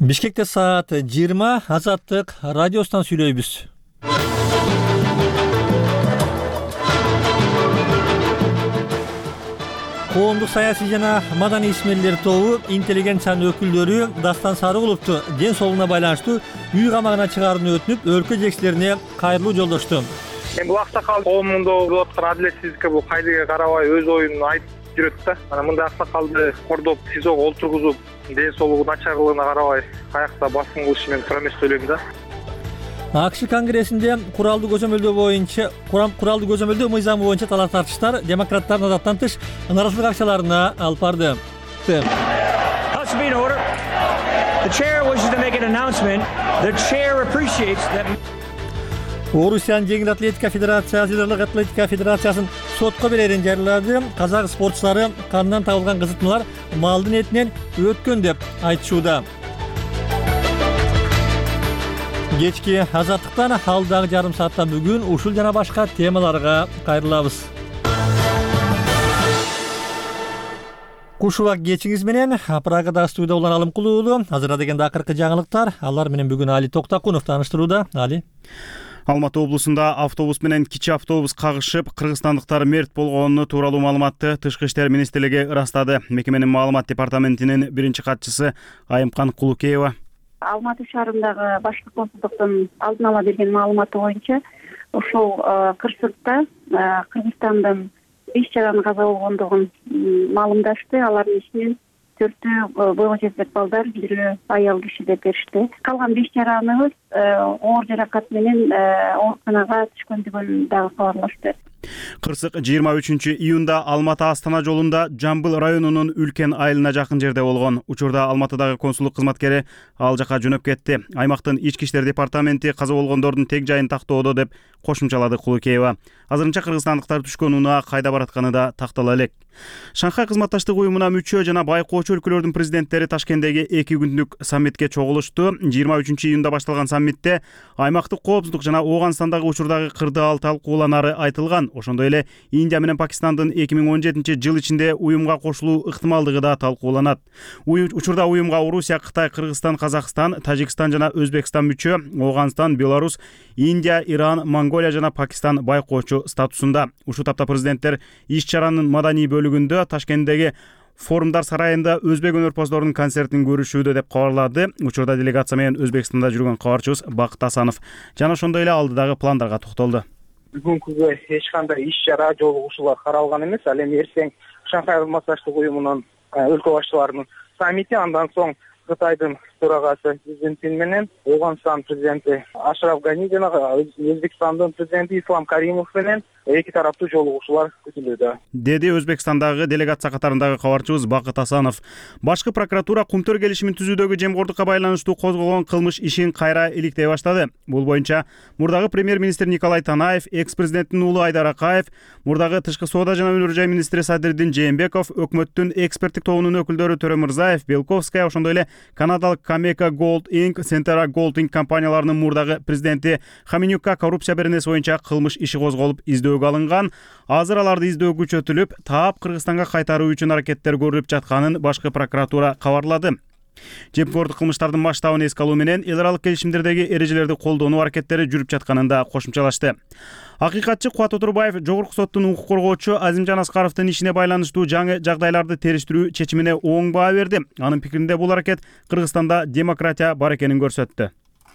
Бишкекте саат 20 Азаттык радиосунан сүйлөйбүз. Коомдук саясий жана маданий исмерлер тобу интеллигенциянын өкүлдөрү Дастан Сарыгуловду ден соолугуна байланыштуу үй камагына чыгарууну өтүнүп, өлкө жетекчилерине кайрылуу жолдошту. Бул аксакал коомунда болуп аткан адилетсиздикке бул кайдыга карабай өз оюн айтып жүрөт да. Анан мындай аксакалды кордоп, СИЗОго олтургузуп, ден соолугу начарлыгына карабай каякта басым кылышы мен туура эмес деп ойлойм да. АКШ конгрессинде куралдуу көзөмөлдөө мыйзамы боюнча талаш тартыштар демократтардын адаттан тыш нааразычылык акчаларына алып барды. Орусиянын жеңил атлетика федерациясы Жыдарлык атлетика федерациясын сотко берерин жарыялады. Казак спортчулары кандан табылган кызытмалар малдын этинен өткөн деп айтышууда. Кечки Азаттыктан алдагы жарым саатта бүгүн ушул жана башка темаларга кайрылабыз. Куш убак кечиңиз менен Прагада студияда улан Алымкул уулу. Азырда дегенде акыркы жаңылыктар. Алар менен бүгүн Али Токтакунов тааныштырууда. Али. Алматы облусунда автобус менен кичи автобус кагышып, кыргызстандыктар мерт болгону тууралуу маалыматты Тышкы иштер министрлиги ырастады. Мекеменин маалымат департаментинин биринчи катчысы Айымкан Кулукеева. Алматы шаарындагы башкы консулдуктун алдын ала берген маалыматы боюнча ушул кырсыкта Кыргызстандын 5 жаран каза болгондугун маалымдашты. Алардын ичинен 4 бойло жетпек балдар, 1 аял киши деп беришти. Калган 5 жараныбыз оор жаракат менен ооруканага түшкөндүгүн дагы кабарлашты. Кырсык 23-июнда Алматы Астана жолунда Жамбыл районунун Үлкен айылына жакын жерде болгон. Учурда Алматыдагы консулдук кызматкери ал жака жөнөп кетти. Аймактын ички иштер департаменти каза болгондордун тег жайын тактоодо деп кошумчалады Кулукеева. Азырынча кыргызстандыктар түшкөн унаа кайда баратканы да тактала элек. Шанхай кызматташтык уюмуна мүчө жана байкоочу өлкөлөрдүн президенттери Ташкенттеги 2 күндүк саммитке чогулушту. 23-июнда башталган саммитте аймактык коопсуздук жана Ооганстандагы учурдагы кырдаал талкууланары айтылган. Ошондой эле Индия менен Пакистандын 2017-жыл ичинде уюмга кошулуу ыктымалдыгы да талкууланат. Учурда уюмга Орусия, Кытай, Кыргызстан, Казакстан, Тажикстан жана Өзбекстан мүчө, Ооганстан, Беларусь, Индия, Иран, Монголия жана Пакистан байкоочу статусунда. Ушул тапта президенттер иш-чаранын маданий бөлүгүндө Ташкенттеги форумдар сарайында өзбек өнөрпоздорунун концертин көрүшүүдө деп кабарлады. Учурда делегация менен Өзбекстанда жүргөн кабарчыбыз Бакыт Асанов. Жана ошондой эле алдыдагы пландарга токтолду. Бүгүнкүгө эч кандай иш-чара, жолугушуулар каралган эмес. Ал эми эртең Шанхай кызматташтык уюмунун өлкө башчыларынын саммити, андан соң Кытайдын төрагасы Си Цзиньпин менен Ооганстан президенти Ашраф Гани жана Өзбекстандын президенти Ислам Каримов менен эки тараптуу жолугушуулар күтүлүүдө, деди Өзбекстандагы делегация катарындагы кабарчыбыз Бакыт Асанов. Башкы прокуратура Кумтөр келишимин түзүүдөгү жемгоордукка байланыштуу козголгон кылмыш ишин кайра иликтей баштады. Бул боюнча мурдагы премьер-министр Николай Танаев, экс-президенттин уулу Айдар Акаев, мурдагы тышкы соода жана өнөр жай министри Садырдин Жээнбеков, өкмөттүн эксперттик тобунун өкүлдөрү Төрө Мырзаев, Белковская, ошондой эле канадалык Камека Gold Inc, Centera Gold Inc компанияларынын мурдагы президенти Хаменюкка коррупция беренеси боюнча кылмыш иши козголуп издөөгө алынган. Азыр аларды издөө күчөтүлүп, таап Кыргызстанга кайтаруу үчүн аракеттер көрүлүп жатканын башкы прокуратура кабарлады. Жемкорлук кылмыштардын масштабын эске алуу менен эл аралык келишимдердеги эрежелерди колдонуу аракеттери жүрүп жатканын да кошумчалашты. Акыйкатчы Кубат Отурбаев Жогорку соттун укук коргоочу Азимжан Аскаровдун ишине байланыштуу жаңы жагдайларды териштирүү чечимине оң баа берди. Анын пикиринде бул аракет Кыргызстанда демократия бар экенин көрсөттү.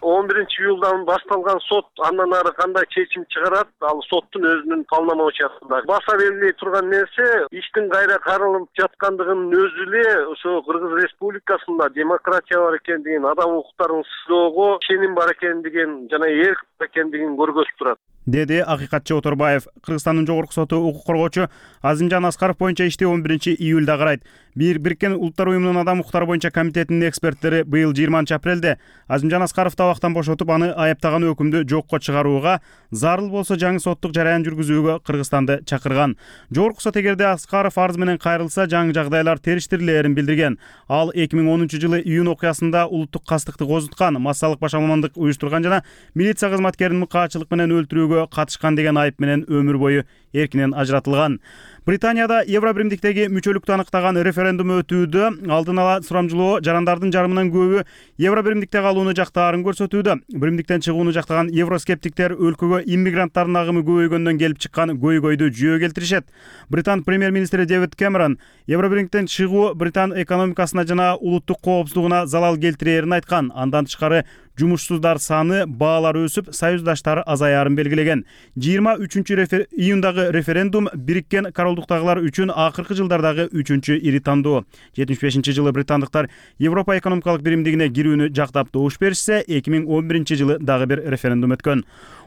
11-июлдан башталган сот андан ары кандай чечим чыгарат, ал соттун өзүнүн полномочиясында. Баса белгилей турган нерсе, иштин кайра каралып жаткандыгынын өзү эле ошо Кыргыз Республикасында демократия бар экендигин, адам укуктарын сыйлоого ишеним бар экендигин жана эрк бар экендигин көргөзүп турат, деди акыйкатчы Отурбаев. Кыргызстандын Жогорку соту укук коргоочу Азимжан Аскаров боюнча ишти 11-июлда карайт. Бириккен Улуттар уюмунун адам укуктары боюнча комитетинин эксперттери быйыл 20-апрелде Азимжан Аскаровду абактан бошотуп, аны аяптаган өкүмдү жокко чыгарууга, зарыл болсо жаңы соттук жараян жүргүзүүгө Кыргызстанды чакырган. Жогорку сот эгерде Аскаров арыз менен кайрылса, жаңы жагдайлар териштирилээрин билдирген. Ал 2010-жылы июнь окуясында улуттук кастыкты козуткан, массалык башаламандык уюштурган жана милиция кызматкерин мыкаачылык менен өлтүрүүгө катышкан деген айып менен өмүр бою эркинен ажыратылган. Британияда Евробиримдиктеги мүчөлүктү аныктаган референдум өтүүдө. Алдын ала сурамжылоо жарандардын жарымынан көбү Евробиримдикте калууну жактаарын көрсөтүүдө. Биримдиктен чыгууну жактаган евроскептиктер өлкөгө иммигранттардын агымы көбөйгөндөн келип чыккан көйгөйдү жүйө келтиришет. Британ премьер-министри Дэвид Кэмерон Евробиримдиктен чыгуу Британ экономикасына жана улуттук коопсуздугуна залал келтирээрин айткан. Андан тышкары жумушсуздар саны, баалар өсүп, союздаштары азаярын белгилеген. 23 июндагы референдум Бириккен Королдуктагылар үчүн акыркы жылдардагы 3-чү ири тандоо. 75-жылы британдыктар Европа экономикалык биримдигине кирүүнү жактап добуш беришсе, 2011-жылы дагы бир референдум өткөн.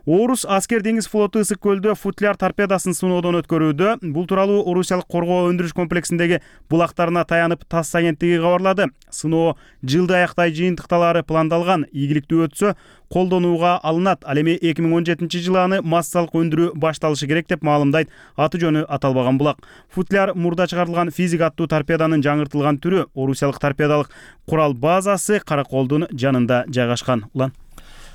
Орус аскер деңиз флоту Ысык көлдө футляр торпедасын сыноодон өткөрүүдө. Бул тууралуу Орусиялык коргоо өндүрүш комплексиндеги булактарына таянып ТАСС агенттиги кабарлады. Сыноо жылды аяктай жыйынтыкталары пландалган. Ийгиликтүү өтсө, колдонууга алынат. Ал эми 2017-жылы аны массалык өндүрүү башталышы керек деп маалымдайт аты жөнү аталбаган булак. Футляр мурда чыгарылган физик аттуу торпеданын жаңыртылган түрү. Орусиялык торпедалык курал базасы Караколдун жанында жайгашкан. Улан.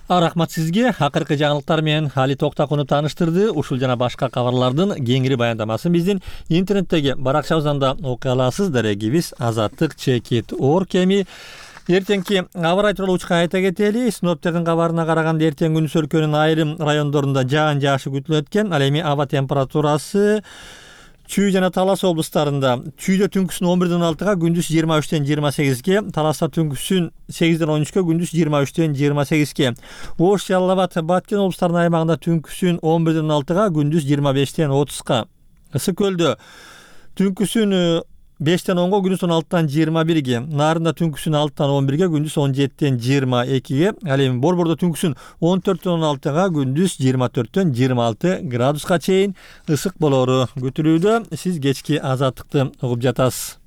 Рахмат сизге. Акыркы жаңылыктар менен Али Токтакунов тааныштырды. Ушул жана башка кабарлардын кеңири баяндамасын биздин интернеттеги баракчабыздан да окуй аласыз. Дарегибиз azatlyk.org. Эми эртеңки аба ырайы тууралуу учка айта кетели. Синоптиктердин кабарына караганда эртең күнүс өлкөнүн айрым райондорунда жаан жаашы күтүлөт экен. Ал эми аба температурасы Чүй жана Талас облустарында Чүйдө түнкүсүн 11-16-га, күндүз 23-28-ге, Таласта түнкүсүн 8-13-га, күндүз 23-28-ге. Ош, Жалал Абад, Баткен облустарынын аймагында түнкүсүн 11-16-га, күндүз 25-30-га. Ысык көлдө түнкүсүн 5-10-га, күндүз 16-21-ге, Нарында түнкүсүн 6-11-ге, күндүз 17-22-ге, ал эми Борбордо түнкүсүн 14-16-га, күндүз 24-26 градуска чейин ысык болору күтүлүүдө. Сиз кечки азаттыкты угуп жатасыз.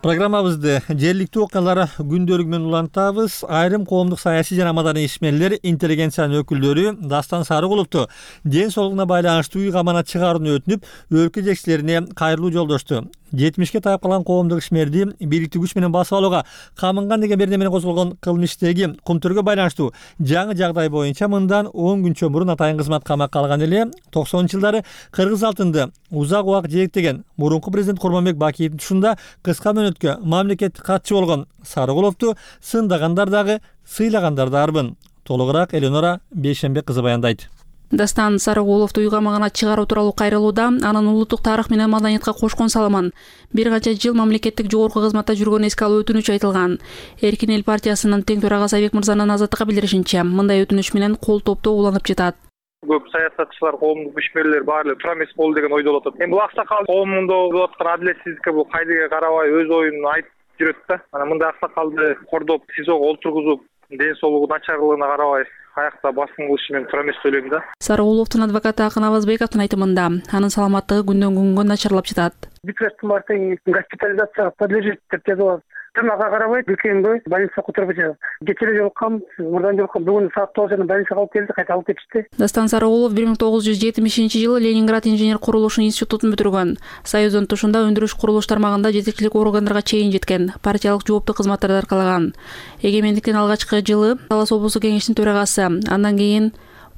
Программабызды жергиликтүү окуялар күндөлүгү менен улантабыз. Айрым коомдук саясий жана маданий ишмерлер, интеллигенциянын өкүлдөрү Дастан Сарыгуловду ден соолугуна байланыштуу үй камагына чыгарууну өтүнүп, өлкө жетекчилерине кайрылуу жолдошту. 70-ке таяп калган коомдук ишмерди бийликтүү күч менен басып алууга камынган деген берене менен козголгон кылмыш иштеги Кумтөргө байланыштуу жаңы жагдай боюнча мындан 10 күнчө мурун атайын кызмат камакка алган эле. 90-жылдары кыргыз алтынды узак убак жетектеген мурунку президент Курманбек Бакиевдин тушунда кыска мөөнөткө мамлекеттик катчы болгон Сарыгуловду сындагандар дагы, сыйлагандар дарбын. Толугураак Эленора Бейшембек кызы баяндайт. Дастан Сарыгуловду үй камагына чыгаруу тууралуу кайрылууда анын улуттук тарых менен маданиятка кошкон салымын, бир канча жыл мамлекеттик жогорку кызматта жүргөнүн эске алуу өтүнүч айтылган. Эркин эл партиясынын тең төрагасы Айбек мырзанын азаттыкка билдиришинче, мындай өтүнүч менен кол топтоо уланып жатат. Көп саясатчылар, коомдук ишмерлер баары эле тура эмес болду деген ойдо болот. Эми бул аксакал коомунда болуп аткан адилетсиздикке бул кайдыга карабай өз оюн айтып жүрөт да. Анан мындай аксакалды кордоп, СИЗОго олтургузуп, ден соолугу начарлыгына карабай аякта басым кылышы мен туура эмес деп ойлойм да. Сарыгуловдун адвокаты Акын Абазбековдун айтымында, анын саламаттыгы күндөн күнгө начарлап жатат. Депутаттын баары госпитализацияга подлежит деп жазылат. Ага карабай, үлкөнгө больницага которуп жатат. Кечээ жолуккан, мурдан жолуккан, бүгүн саат 9-да больницага алып келди, кайта алып кетишти. Дастан Сарыгулов 1970-жылы Ленинград инженер курулуш институтун бүтүргөн. Союздун тушунда өндүрүш курулуш тармагында жетекчилик органдарга чейин жеткен, партиялык жооптуу кызматтарды аркалаган. Эгемендиктин алгачкы жылы Талас облустук кеңештин төрагасы, андан кийин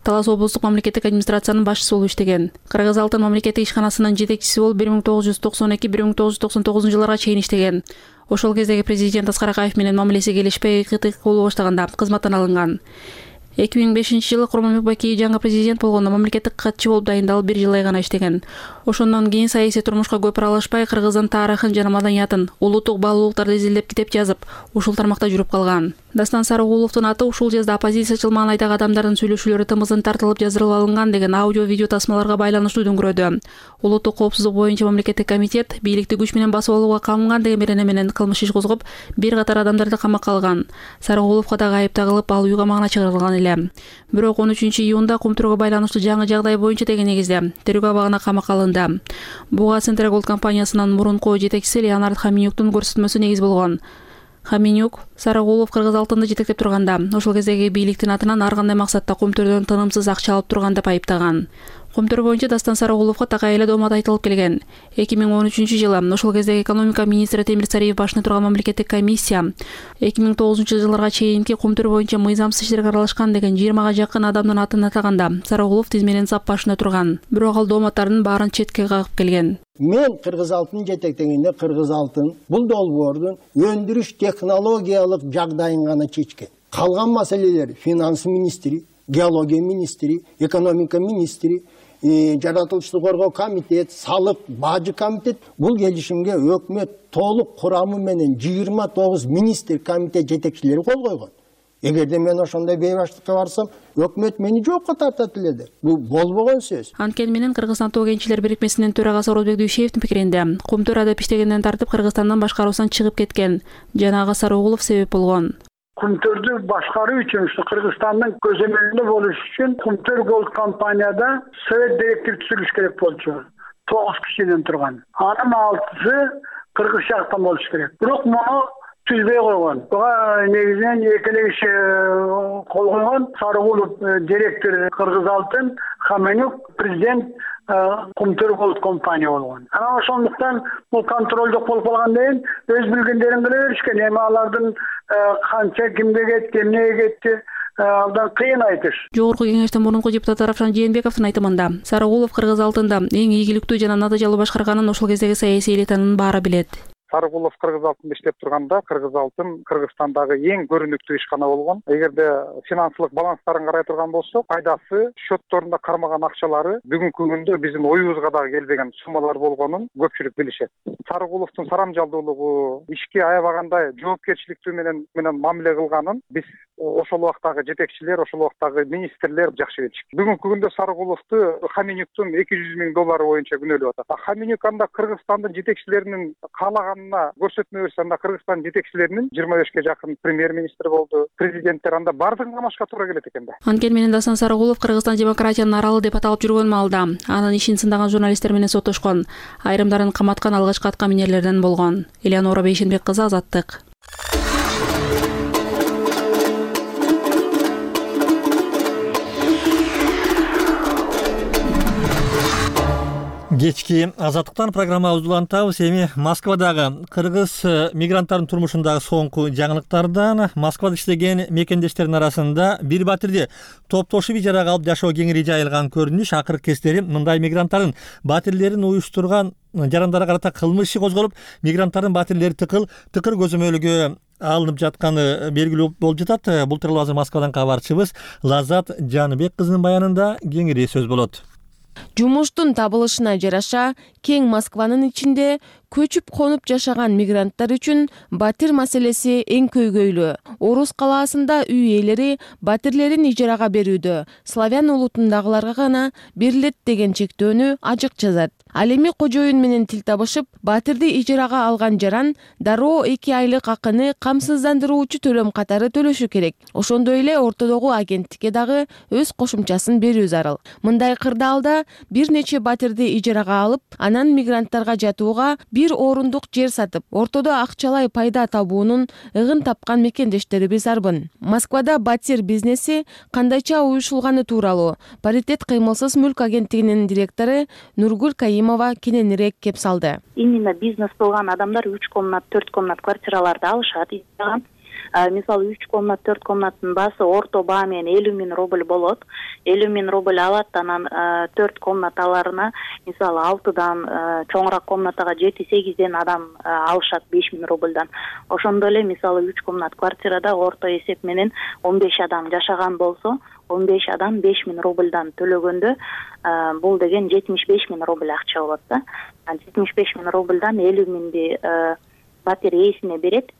Талас облустук мамлекеттик администрациянын башчысы болуп иштеген. Кыргыз алтын мамлекеттик ишканасынын жетекчиси болуп 1992-1999 жылдарга чейин иштеген. Ошол кездеги президент Аскар Акаев менен мамилеси келишпей кытык боло баштаганда кызматтан алынган. 2005-жылы Курманбек Бакиев жаңы президент болгондо мамлекеттик катчы болуп дайындалып 1 жыл гана иштеген. Ошондон кийин саясий турмушка көп аралашпай, Кыргыздын тарыхын жана маданиятын, улуттук баалуулуктарды изилдеп китеп жазып, ушул тармакта жүрүп калган. Дастан Сарыгуловдун аты ушул жазда оппозициячыл маанайдагы адамдардын сүйлөшүүлөрү тымызын тартылып жаздырылып алынган деген аудио-видео тасмаларга байланыштуу дүңгүрөдү. Улуттук коопсуздук боюнча мамлекеттик комитет бийликти күч менен басып алууга камынган деген берене менен кылмыш иш козгоп, бир катар адамдарды камакка алган. Сарыгуловго дагы айып тагылып, ал үй камагына чыгарылган эле. Бирок 13-июнда Кумтөргө байланыштуу жаңы жагдай боюнча деген негизде тергөө абагына камакка алынды. Буга Центр Голд компаниясынын мурунку жетекчиси Леонард Хаминюктун көрсөтмөсү негиз болгон. Хаминюк Сарыгулов Кыргыз алтынды жетектеп турганда, ошол кездеги бийликтин атынан ар кандай максатта Кумтөрдөн тынымсыз акча алып турган деп айыптаган. Кумтөр боюнча Дастан Сарыгуловго так айла доомат айтылып келген. 2013-жылы ошол кездеги экономика министри Темир Цариев башына турган мамлекеттик комиссия 2009-жылдарга чейинки Кумтөр боюнча мыйзамсыз иштерге аралашкан деген 20га жакын адамдын атын атаганда Сарыгулов тизменин сап башында турган. Бирок ал дооматтардын баарын четке кагып келген. Мен Кыргыз алтын жетектегенде Кыргыз алтын бул долбоордун өндүрүш технологиялык жагдайын гана чечкен. Калган маселелер финанс министри, геология министри, экономика министри, жаратылыштык коргоо комитет, салык, бажы комитет бул келишимге өкмөт толук курамы менен 29 министр комитет жетекчилери кол койгон. Эгерде мен ошондой бейбаштыкка барсам, өкмөт мени жоокко тартат эле. Бул болбогон сөз. Анткени менен Кыргызстан тоо кенчилер бирикмесинин төрагасы Орозбек Дүйшеевдин пикиринде, Кумтөр адап иштегенден тартып Кыргызстандын башкаруусунан чыгып кеткен. Жанагы Сарыгулов себеп болгон. Кумтөрдү башкаруу үчүн, Кыргызстандын көзөмөлүндө болуш үчүн Кумтөр Голд компанияда совет директор түзүлүш керек болчу. 9 кишиден турган. Анын 6-сы кыргыз жактан болуш керек. Бирок муну түзбөй койгон. Буга негизинен экеле киши кол койгон. Сарыгулов директор Кыргыз алтын, Хаменюк президент Кумтөр Голд компания болгон. Анан ошондуктан бул контролдук болуп калгандан кийин өз билгендерин кыла беришкен. Эми алардын канча кимге кетти, эмнеге кетти, алдан кыйын айтыш. Жогорку кеңештин мурунку депутаты Равшан Жээнбековдун айтымында, Сарыгулов Кыргыз алтында эң ийгиликтүү жана натыйжалуу башкарганын ошол кездеги саясий элитанын баары билет. Сарыгулов Кыргыз алтында иштеп турганда Кыргыз алтын Кыргызстандагы эң көрүнүктүү ишкана болгон. Эгерде финансылык баланстарын карай турган болсок, пайдасы, счетторунда кармаган акчалары бүгүнкү күндө биздин оюбузга дагы келбеген суммалар болгонун көпчүлүк билишет. Сарыгуловдун сарамжалдуулугу, ишке аябагандай жоопкерчиликтүү менен мамиле кылганын биз ошол убактагы жетекчилер, ошол убактагы министрлер жакшы билишет. Бүгүнкү күндө Сарыгуловду Хаменюктун $200,000 боюнча күнөөлөп атат. Хаменюк анда Кыргызстандын жетекчилеринин каалаганына көрсөтмө берсе, анда Кыргызстан жетекчилеринин 25ке жакын премьер-министр болду, президенттер анда бардыгын камашка туура келет экен да. Анткени менен Дастан Сарыгулов Кыргызстан демократиянын аралы деп аталып жүргөн маалда анын ишин сындаган журналисттер менен соттошкон, айрымдарын каматкан алгачкы атка минерлерден болгон. Элеонора Бейшенбек кызы, Азаттык. Кечки Азаттыктан программабызды улантабыз. Эми Москвадагы кыргыз мигранттардын турмушундагы соңку жаңылыктардан. Москвада иштеген мекендештердин арасында бир батирди топтошуп ижарага алып жашоо кеңири жайылган көрүнүш. Акыркы кездери мындай мигранттардын батирлерин уюштурган жарандары карата кылмыш иши козголуп, мигранттардын батирлери тыкыр көзөмөлгө алынып жатканы белгилүү болуп жатат. Бул тууралуу азыр Москвадан кабарчыбыз Лаззат Жаныбек кызынын баянында кеңири сөз болот. Жумуштун табылышына жараша кең Москванын ичинде көчүп конуп жашаган мигранттар үчүн батир маселеси эң көйгөйлүү. Орус калаасында үй ээлери батирлерин ижарага берүүдө славян улутундагыларга гана берилет деген чектөөнү ажык жазат. Ал эми кожоюн менен тил табышып, батирди ижарага алган жаран дароо 2 айлык акыны камсыздандыруучу төлөм катары төлөшү керек. Ошондой эле ортодогу агенттикке дагы өз кошумчасын берүү зарыл. Мындай кырдаалда бир нече батирди ижарага алып, анан мигранттарга жатууга бир орундук жер сатып, ортодо акчалай пайда табуунун ыгын тапкан мекендештерибиз арбын. Москвада батир бизнеси кандайча уюшулганы тууралуу Паритет кыймылсыз мүлк агенттигинин директору Нургүл Каимова кененирээк кеп салды. Именно бизнес кылган адамдар 3 комнат, 4 комнат квартираларды алышат. Мисалы 3 комнат, 4 комнаттын баасы орто баа менен 50,000 рубль болот. 50,000 рубль алат, анан 4 комнаталарына мисалы 6дан чоңураак комнатага 7-8ден адам алышат 5,000 рубльдан. Ошондой эле мисалы 3 комнат квартирада орто эсеп менен 15 адам жашаган болсо, 15 адам 5,000 рубльдан төлөгөндө бул деген 75,000 рубль акча болот да. 75,000 рубльдан 50,000ди батир ээсине берет.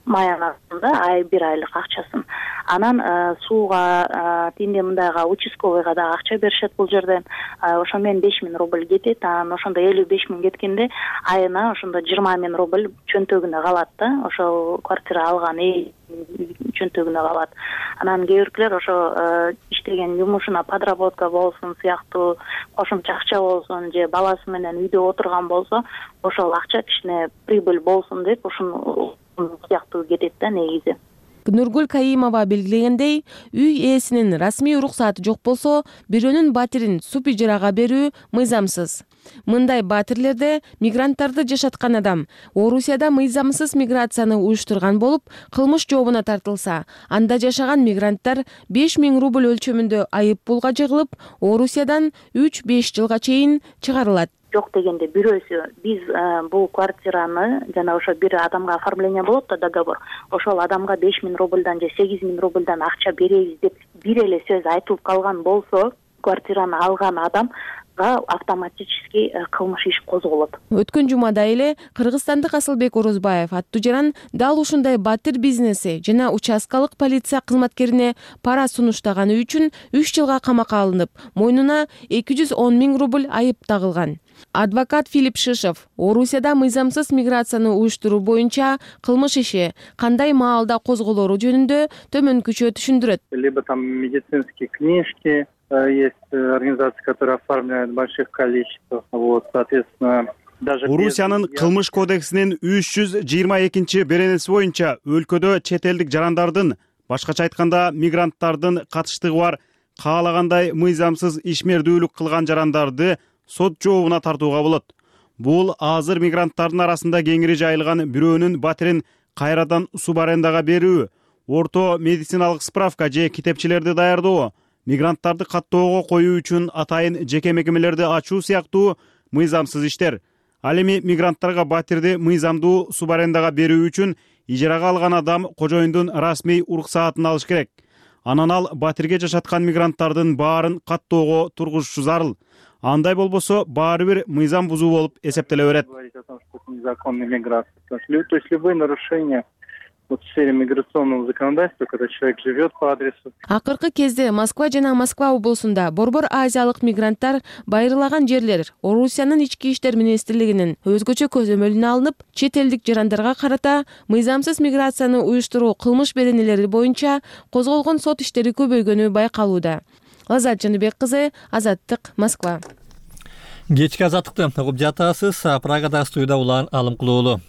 Маянасында бир айлык акчасын. Анан сууга, тинде мындайга участковыйга да акча беришет бул жерден. Ошо менен 5,000 рубль кетет. Анан ошондо 55,000 кеткенде айына ошондо 20,000 рубль чөнтөгүнө калат да. Ошол квартира алган чөнтөгүнө калат. Анан кээ биркилер ошо иштеген жумушуна подработка болсун, сыяктуу кошумча акча болсун, же баласы менен үйдө отурган болсо, ошол акча кичине прибыль болсун деп ушуну сыяктуу кетет да негизи. Нургүл Каимова белгилегендей, үй ээсинин расмий уруксаты жок болсо, бирөөнүн батирин суп ижарага берүү мыйзамсыз. Мындай батирлерде мигранттарды жашаткан адам Орусияда мыйзамсыз миграцияны уюштурган болуп, кылмыш жообуна тартылса, анда жашаган мигранттар 5000 рубль өлчөмүндө айып пулга жыгылып, Орусиядан 3-5 жылга чейин чыгарылат. Жок дегенде бирөөсү биз бул квартираны жана ошо бир адамга оформление болот да, договор. Ошол адамга 5000 рубльдан же 8000 рубльдан акча беребиз деп бир эле сөз айтылып калган болсо, квартираны алган адам автоматически кылмыш иш козголот. Өткөн жумада эле кыргызстандык Асылбек Орозбаев аттуу жаран дал ушундай батир бизнеси жана участкалык полиция кызматкерине пара сунуштаганы үчүн 3 жылга камакка алынып, мойнуна 210 000 рубль айып тагылган. Адвокат Филипп Шишов Орусияда мыйзамсыз миграцияны уюштуруу боюнча кылмыш иши кандай маалда козголору жөнүндө төмөнкүчө түшүндүрөт. Либо там медицинские книжки, есть организации, которые оформляют в больших количествах, вот, соответственно, даже Орусиянын кылмыш кодексинин 322 беренеси боюнча өлкөдө чет элдик жарандардын, башкача айтканда мигранттардын катыштыгы бар каалагандай мыйзамсыз ишмердүүлүк кылган жарандарды сот жообуна тартууга болот. Бул азыр мигранттардын арасында кеңири жайылган бирөөнүн батирин кайрадан субарендага берүү, орто медициналык справка же китепчелерди даярдоо, мигранттарды каттоого коюу үчүн атайын жеке мекемелерди ачуу сыяктуу мыйзамсыз иштер. Ал эми мигранттарга батирди мыйзамдуу субарендага берүү үчүн ижарага алган адам кожоюндун расмий уруксаатын алыш керек. Анан ал батирге жашаткан мигранттардын баарын каттоого тургузушу зарыл. Андай болбосо баары бир мыйзам бузуу болуп эсептеле берет. Незаконной миграции. То есть любые нарушения в сфере миграционного законодательства, когда человек живет по адресу. Акыркы кезде Москва жана Москва облусунда борбор азиялык мигранттар байырлаган жерлер Орусиянын ички иштер министрлигинин өзгөчө көзөмөлүнө алынып, чет элдик жарандарга карата мыйзамсыз миграцияны уюштуруу кылмыш беренелери боюнча козголгон сот иштери көбөйгөнү байкалууда. Азат Жаныбек кызы, Азаттык, Москва. Кечки азаттыкты угуп жатасыз. Прагада студияда Улан Алымкулуулу.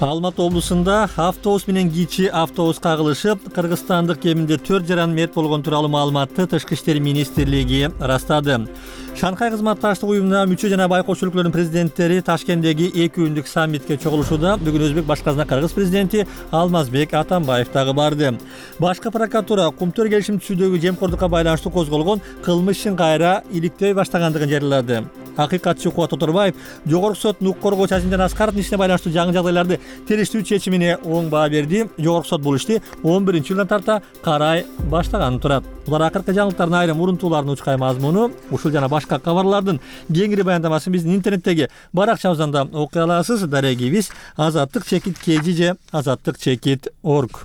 Алматы облусунда автобус менен кичи автобус кагылышып, кыргызстандык кеминде 4 жаран мерт болгон тууралуу маалыматты Тышкы иштер министрлиги ырастады. Шанхай кызматташтык уюмуна мүчө жана байкоочу өлкөлөрдүн президенттери Ташкенттеги 2 күндүк саммитке чогулушууда. Бүгүн Өзбек башкарасына Кыргыз президенти Алмазбек Атамбаев дагы барды. Башкы прокуратура Кумтөр келишим түзүүдөгү жемкордукка байланыштуу козголгон кылмыш ишин кайра иликтөй баштагандыгын жарыялады. Акыйкатчы Кубат Оторбаев Жогорку сот укук коргоо Чачимжан Аскаровдун ишине байланыштуу жаңы жагдайларды териштүү чечимине оң баа берди. Жогорку сот бул ишти 11-жылдан тарта карай баштаганын турат. Булар акыркы жаңылыктардын айрым урунтууларынын учкай мазмуну. Ушул жана башка кабарлардын кеңири баяндамасын биздин интернеттеги баракчабыздан да окуй аласыз. Дарегибиз azattik.kg же azattik.org.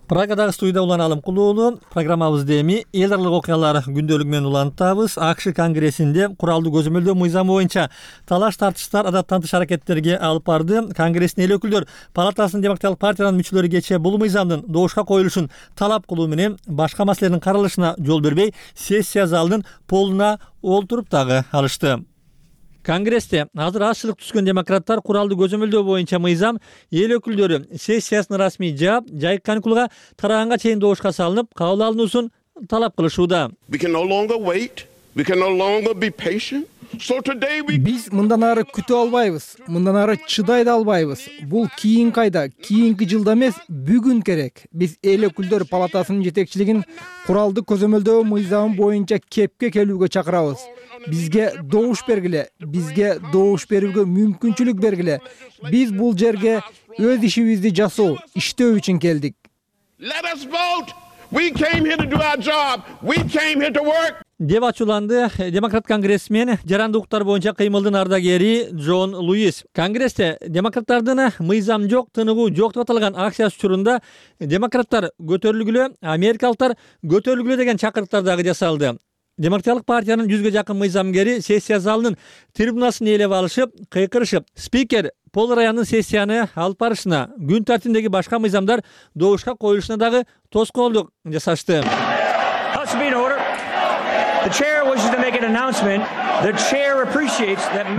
Прагадагы студияда Улан Алымкулуулу. Программабызды эми эл аралык окуялар күндөлүгү менен улантабыз. АКШ конгрессинде куралдуу көзөмөлдөө мыйзамы боюнча талаш тартыштар адаттан тыш аракеттерге алып барды. Конгресстин эл өкүлдөр палатасынын демократиялык партиянын мүчөлөрү кечээ бул мыйзамдын добушка коюлушун талап кылуу менен башка маселелердин каралышына жол бербей, сессия залынын полуна олтуруп дагы алышты. Конгрессте азыр азчылык түзгөн демократтар куралдуу көзөмөлдөө боюнча мыйзам эл өкүлдөрү сессиясынын расмий жаап, жайкы каникулга тараганга чейин добушка салынып, кабыл алынуусун талап кылышууда. Биз мындан ары күтө албайбыз, мындан ары чыдай да албайбыз. Бул кийин кайда, кийинки жылда эмес, бүгүн керек. Биз эл өкүлдөр палатасынын жетекчилигин куралдуу көзөмөлдөө мыйзамы боюнча кепке келүүгө чакырабыз. Бизге добуш бергиле, бизге добуш берүүгө мүмкүнчүлүк бергиле. Биз бул жерге өз ишибизди жасоо, иштөө үчүн келдик. Деп ачууланды демократ конгрессмен жарандык укуктар боюнча кыймылдын ардагери Джон Луис. Конгрессте демократтардын мыйзам жок, тыныгуу жок деп аталган акциясы учурунда демократтар көтөрүлгүлө, америкалыктар көтөрүлгүлө деген чакырыктар дагы жасалды. Демократиялык партиянын 100га жакын мыйзамгери сессия залынын трибунасын ээлеп алышып, кыйкырышып, спикер Пол Раянын сессияны алып барышына, күн тартибиндеги башка мыйзамдар добушка коюлушуна дагы тоскоолдук жасашты.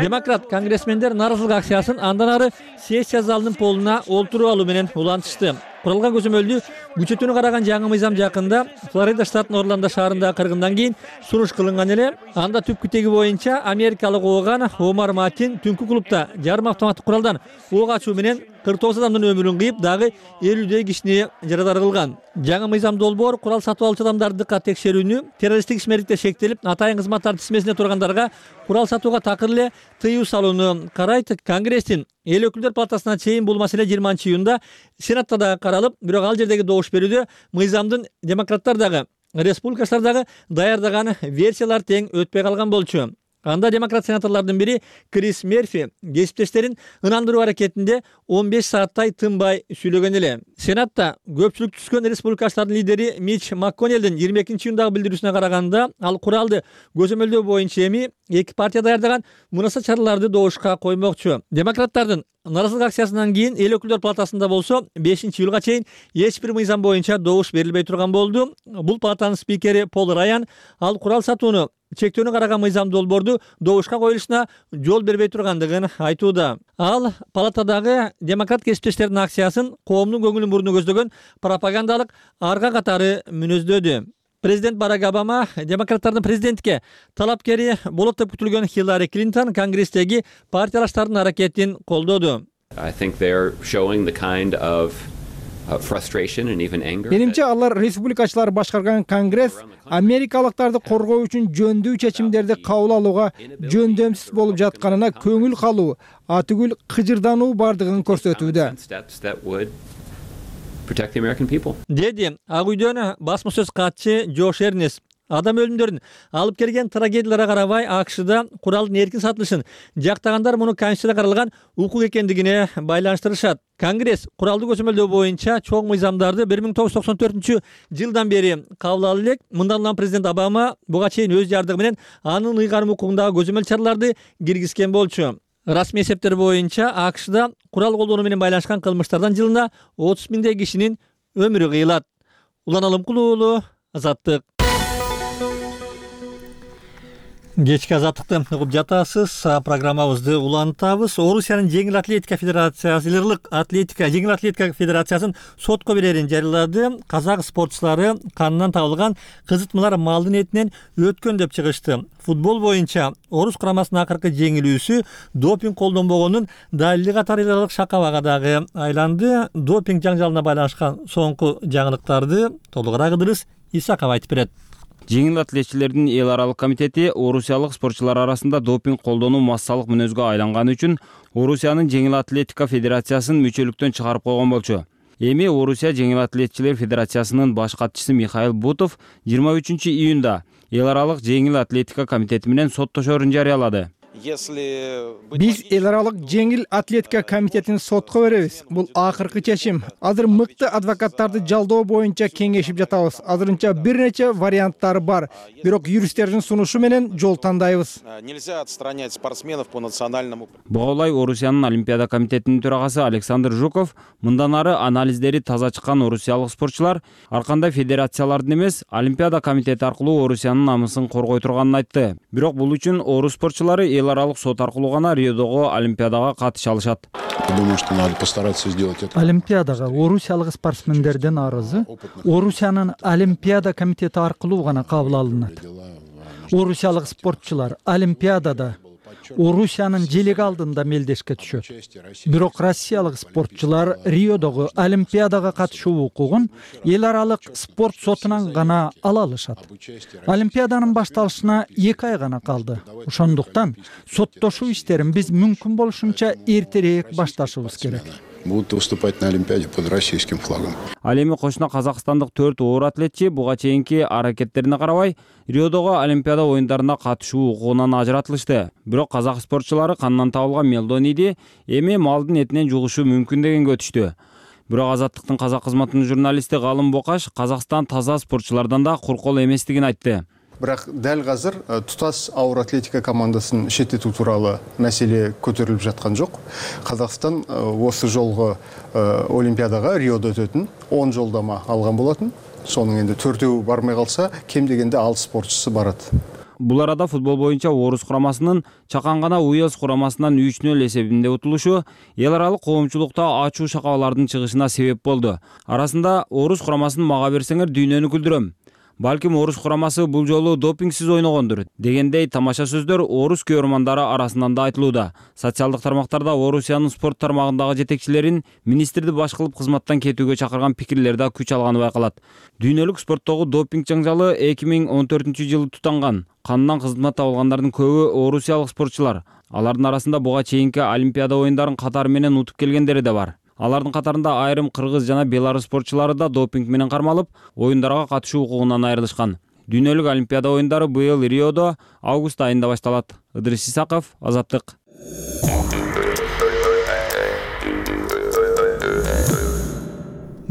Демократ конгрессмендер нааразылык акциясын андан ары сессия залынын полуна олтуруп алуу менен улантышты. Куралган көзөмөлдү күчөтүүнү караган жаңы мыйзам жакында Флорида штатынын Орландо шаарындагы кыргындан кийин суруш кылынган эле. Анда түпкү теги боюнча америкалык ооган Омар Мартин түнкү клубда жарым автоматтык куралдан ок ачуу менен 49 адамдын өмүрүн кыйып, дагы 50 кишини жарадар кылган. Жаңы мыйзам долбоор курал сатып алуучу адамдарды дыккат текшерүүнү, террористтик ишмердикте шектелип, атайын кызматтар тизмесинде тургандарга курал сатууга такыр эле тыюу салууну карайт. Конгресстин эл өкүлдөр палатасына чейин бул маселе 20-июнда Сенатта да каралып, бирок ал жердеги добуш берүүдө мыйзамдын демократтар дагы, республикачылар дагы даярдаган версиялар тең өтпөй калган болчу. Анда демократ сенаторлордун бири Крис Мерфи кесиптештерин ынандыруу аракетинде 15 сааттай тынбай сүйлөгөн эле. Сенатта көпчүлүк түзгөн республикачылардын лидери Мич МакКоннелдин 22-июндагы билдирүүсүнө караганда, ал куралды көзөмөлдөө боюнча эми эки партия даярдаган мунаса чараларды добушка коймокчу. Демократтардын нааразылык акциясынан кийин эл өкүлдөр палатасында болсо 5-июлга чейин эч бир мыйзам боюнча добуш берилбей турган болду. Бул палатанын спикери Пол Раян ал курал сатууну чектөөнү караган мыйзам долбоорду добушка коюлушуна жол бербей тургандыгын айтууда. Ал палатадагы демократ кесиптештердин акциясын коомдун көңүлүн буруну көздөгөн пропагандалык арга катары мүнөздөдү. Президент Барак Обама демократтардын президентке талапкери болот деп күтүлгөн Хиллари Клинтон конгресстеги партиялаштардын аракетин колдоду. Менимче алар республикачылар башкарган конгресс америкалыктарды коргоо үчүн жөндүү чечимдерди кабыл алууга жөндөмсүз болуп жатканына көңүл калуу, атүгүл кыжырдануу бардыгын көрсөтүүдө. Деди Ак үйдөн басма сөз катчы Джош Эрнест. Адам өлүмдөрүн алып келген трагедияларга карабай АКШда куралдын эркин сатылышын жактагандар муну Конституцияда каралган укук экендигине байланыштырышат. Конгресс куралды көзөмөлдөө боюнча чоң мыйзамдарды 1994-жылдан бери кабыл алып элек. Мындан улам президент Обама буга чейин өз жардыгы менен анын ыйгарым укугундагы көзөмөл чараларды киргизген болчу. Расмий эсептер боюнча АКШда курал колдонуу менен байланышкан кылмыштардан жылына 30 миңдей кишинин өмүрү кыйылат. Улан Алымкулуу, Азаттык. Кечки Азаттыкты угуп жатасыз. Программабызды улантабыз. Орусиянын жеңил атлетика федерациясы, жеңил атлетика федерациясын сотко берерин жарыялады. Казак спортчулары канынан табылган кызытмалар малдын этинен өткөн деп чыгышты. Футбол боюнча Орус курамасынын акыркы жеңилүүсү допинг колдонбогонун далили катары эл аралык шакабага дагы айланды. Допинг жаңжалына байланышкан соңку жаңылыктарды толугураак Ыдырыс Исаков айтып берет. Жеңил атлетчилердин эл аралык комитети орусиялык спортчулар арасында допинг колдонуу массалык мүнөзгө айланганы үчүн Орусиянын жеңил атлетика федерациясын мүчөлүктөн чыгарып койгон болчу. Эми Орусия жеңил атлетчилер федерациясынын баш катчысы Михаил Бутов 23-июнда эл аралык жеңил атлетика комитети менен соттошоорун жарыялады. Биз эл аралык жеңил атлетика комитетин сотко беребиз. Бул акыркы чечим. Азыр мыкты адвокаттарды жалдоо боюнча кеңешип жатабыз. Азырынча бир нече варианттары бар. Бирок юристтердин сунушу менен жол тандайбыз. Буга улай Орусиянын Олимпиада комитетинин төрагасы Александр Жуков мындан ары анализдери таза чыккан орусиялык спортчулар ар кандай федерациялардын эмес, Олимпиада комитети аркылуу Орусиянын намысын коргой турганын айтты. Бирок бул үчүн орус спортчулары эл аралык сот аркылуу гана Риодогу Олимпиадага катыша алышат. Олимпиадага орусиялык спортсмендердин арызы Орусиянын Олимпиада комитети аркылуу гана кабыл алынат. Орусиялык спортчулар Олимпиадада Орусиянын желеги алдында мелдешке түшөт. Бирок Россиялык спортчулар Риодогу Олимпиадага катышуу укугун эл аралык спорт сотунан гана ала алышат. Олимпиаданын башталышына 2 ай гана калды. Ошондуктан соттошуу иштерин биз мүмкүн болушунча эртерээк башташыбыз керек. Будут выступать на Олимпиаде под российским флагом. Ал эми кошуна казакстандык 4 оор атлетчи буга чейинки аракеттерине карабай Риодогу Олимпиада оюндарына катышуу укугунан ажыратылышты. Бирок казак спортчулары канынан табылган мелдониди эми малдын этинен жугушу мүмкүн дегенге өтүштү. Бирок Азаттыктын казак кызматынын журналисти Галым Бокаш Казакстан таза спортчулардан да куркол эместигин айтты. Бирок дәл азыр тутас ауыр атлетика командасын шеттетүү тууралуу маселе көтөрүлүп жаткан жок. Казакстан осы жолго Олимпиадага Риодо өтөтүн 10 жолдама алган болотун. Сонун энди 4-өө бармай калса, кем дегенде 6 спортчусу барат. Бул арада футбол боюнча орус курамасынын чакан гана Уэльс курамасынан 3-0 эсебинде утулушу эл аралык коомчулукта ачуу шакабалардын чыгышына себеп болду. Арасында орус курамасын мага берсеңер дүйнөнү күлдүрөм. Балким орус курамасы бул жолу допингсиз ойногондур дегендей тамаша сөздөр орус көрөрмандары арасынан да айтылууда. Социалдык тармактарда Орусиянын спорт тармагындагы жетекчилерин министрди баш кылып кызматтан кетүүгө чакырган пикирлер да күч алганы байкалат. Дүйнөлүк спорттогу допинг жаңжалы 2014-жылы тутанган. Кандан кызмат табылгандардын көбү орусиялык спортчулар. Алардын арасында буга чейинки Олимпиада оюндарын катары менен утуп келгендери да бар. Алардын катарында айрым кыргыз жана белорус спортчулары да допинг менен кармалып, оюндарга катышуу укугунан айрылышкан. Дүйнөлүк Олимпиада оюндары быйыл Риодо август айында башталат. Ыдырыс Исаков, Азаттык.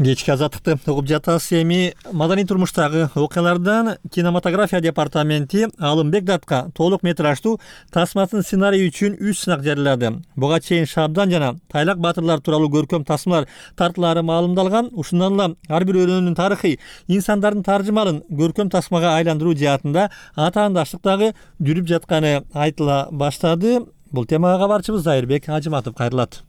Кечки азаттыкты угуп жатасыз. Эми маданий турмуштагы окуялардан кинематография департаменти Алымбек Датка толук метраждуу тасмасын сценарий үчүн 3 сынак жарыялады. Буга чейин Шабдан жана Тайлак баатырлар тууралуу көркөм тасмалар тартылаары маалымдалган. Ушундан эле ар бир өрөөнүн тарыхый инсандардын таржымалын көркөм тасмага айландыруу жаатында атаандаштыктагы жүрүп жатканы айтыла баштады. Бул темага кабарчыбыз Айырбек Ажыматов кайрылат.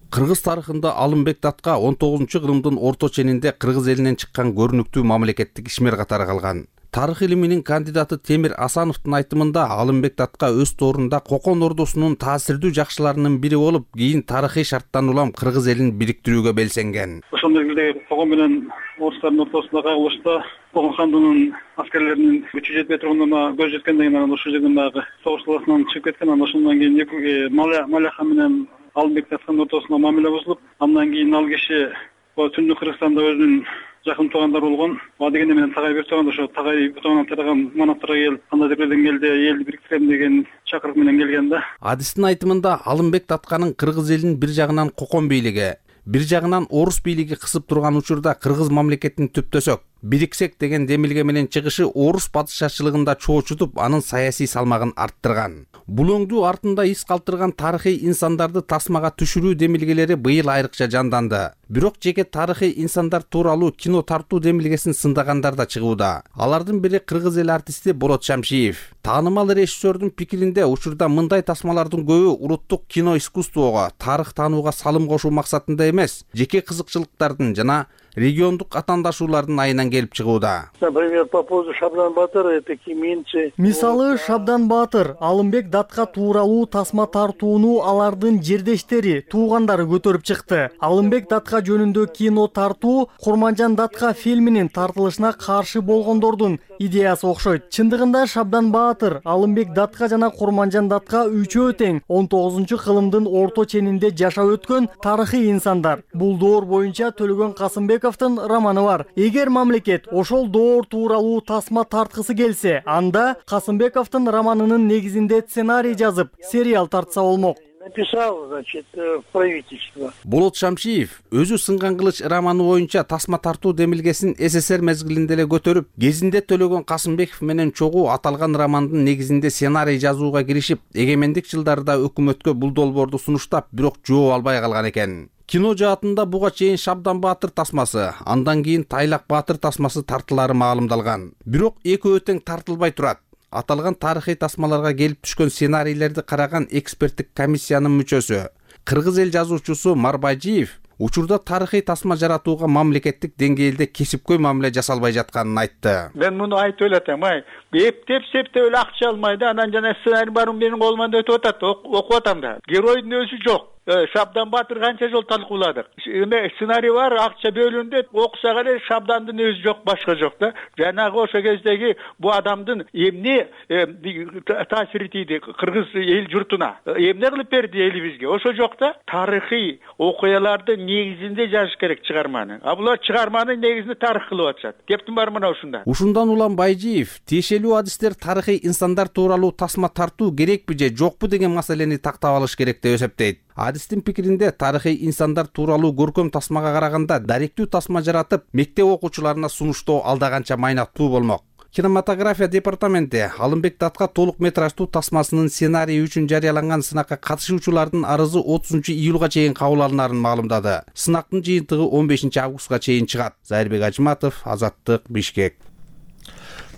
Кыргыз тарыхында Алымбек Датка 19-кылымдын орто ченинде кыргыз элинен чыккан көрүнүктүү мамлекеттик ишмер катары калган. Тарых илиминин кандидаты Темир Асановдун айтымында Алымбек Датка өз тоорунда Кокон ордосунун таасирдүү жакшыларынын бири болуп, кийин тарыхый шарттан улам кыргыз элин бириктирүүгө белсенген. Ошол мезгилде Кокон менен орустардын ортосунда кагылышта Кокон хандыгынын аскерлеринин күчү жетпей турганына көз жеткенден кийин ошол жерден дагы согуш таласынан чыгып кеткен. Ошондон кийин Маляха менен Алымбек Датканын ортосунда мамиле бузулуп, андан кийин ал киши Түндүк Кыргызстанда өзүнүн жакын туугандары болгон дегенде менен Тагай Биртоган ошо Тагай Биртоган тараган манаттарга келип, кандай жерден келди, элди бириктирем деген чакырык менен келген да. Адистин айтымында Алымбек Датканын кыргыз элин бир жагынан Кокон бийлиги, бир жагынан орус бийлиги кысып турган учурда кыргыз мамлекетин түптөсөк, бириксек деген демилге менен чыгышы орус падышачылыгында чоочутуп, анын саясий салмагын арттырган. Бул өңдүү артында из калтырган тарыхый инсандарды тасмага түшүрүү демилгелери быйыл айрыкча жанданды. Бирок жеке тарыхый инсандар тууралуу кино тартуу демилгесин сындагандар да чыгууда. Алардын бири кыргыз эл артисти Болот Шамшиев. Таанымал режиссердун пикиринде учурда мындай тасмалардын көбү улуттук кино искусствого, тарых таанууга салым кошуу максатында эмес, жеке кызыкчылыктардын жана региондук атаандашуулардын айынан келип чыгууда. Например, по поводу Шабдан Баатыр, такие менчи. Мисалы Шабдан Баатыр, Алымбек Датка тууралуу тасма тартууну алардын жердештери, туугандары көтөрүп чыкты. Алымбек Датка жөнүндө кино тартуу Курманжан Датка фильминин тартылышына каршы болгондордун идеясы окшойт. Чындыгында Шабдан Баатыр, Алымбек Датка жана Курманжан Датка үчөө тең 19-кылымдын орто ченинде жашап өткөн тарыхый инсандар. Бул доор боюнча Төлөгөн Касымбековдун романы бар. Эгер мамлекет ошол доор тууралуу тасма тарткысы келсе, анда Касымбековдун романынын негизинде сценарий жазып, сериал тартса болмок. Написал, значит, правительство. Болот Шамшиев өзү сынган кылыч романы боюнча тасма тартуу демилгесин СССР мезгилинде эле көтөрүп, кезинде Төлөгөн Касымбеков менен чогуу аталган романдын негизинде сценарий жазууга киришип, эгемендик жылдарда өкмөткө бул долбоорду сунуштап, бирок жооп албай калган экен. Кино жаатында буга чейин Шабдан Баатыр тасмасы, андан кийин Тайлак Баатыр тасмасы тартылаары маалымдалган. Бирок экөө тең тартылбай турат. Аталган тарыхый тасмаларга келип түшкөн сценарийлерди караган эксперттик комиссиянын мүчөсү, кыргыз эл жазуучусу Марбайжиев учурда тарыхый тасма жаратууга мамлекеттик деңгээлде кесипкөй мамиле жасалбай жатканын айтты. Мен муну айтып элем, эптеп эле акча алмай да, анан жана сценарий барын менин колуман өтүп атат, окуп атам да. Геройдун өзү жок. Шабдан Баатыр канча жол талкууладык. Эме сценарий бар, акча бөлүндү, окусак эле Шабдандын өзү жок, башка жок да. Жанагы ошо кездеги бу адамдын эмне таасири тийди кыргыз эл журтуна, эмне кылып берди элибизге, ошо жок да. Тарыхый окуялардын негизинде жазыш керек чыгарманы. А булар чыгарманы негизинде тарых кылып атышат. Кептин бар мына ушунда. Ушундан улам Байжиев тиешелүү адистер тарыхый инсандар тууралуу тасма тартуу керекпи же жокпу деген маселени тактап алыш керек деп эсептейт. Адистин пикиринде тарыхый инсандар тууралуу көркөм тасмага караганда даректүү тасма жаратып, мектеп окуучуларына сунуштоо алда майнаттуу болмок. Кинематография департаменти Алымбек Датка толук метраждуу тасмасынын сценарийи үчүн жарыяланган сынакка катышуучулардын арызы 30-июлга чейин кабыл алынарын маалымдады. Сынактын жыйынтыгы 15 августка чейин чыгат. Зайырбек Ажыматов, Азаттык, Бишкек.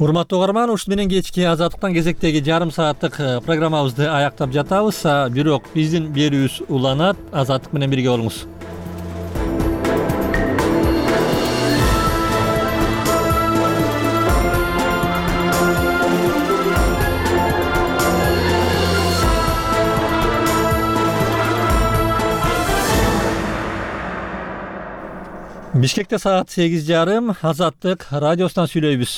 Урматтуу угарман, ушул менен кечки Азаттыктан кезектеги жарым сааттык программабызды аяктап жатабыз. Бирок биздин берүүбүз уланат. Азаттык менен бирге болуңуз. Бишкекте саат 8:30. Азаттык радиосунан сүйлөйбүз.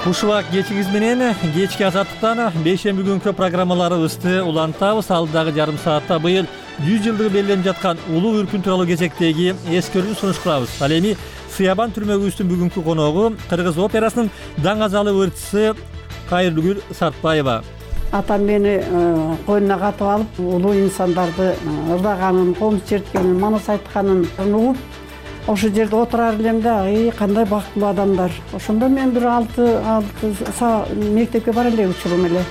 Ушул кечиңиз менен кечки Азаттыктан бейшемби күнкү программаларыбызды улантабыз. Алдагы жарым саатта быйыл 100 жылдыгы белгиленип жаткан улуу үркүн тууралуу кезектеги эскертүүнү сунуш кылабыз. Ал эми Сыябан түрмөгүбүздүн бүгүнкү коногу Кыргыз операсынын даңазалы ырчысы Кайыргүл Сартбаева. Атам мени койнуна катып алып, улуу инсандарды ырдаганын, комуз черткенин, манас айтканын угуп, ошол жерде отурар элем да, кандай бактылуу адамдар. Ошондо мен бир 6 мектепке бара эле учурум эле.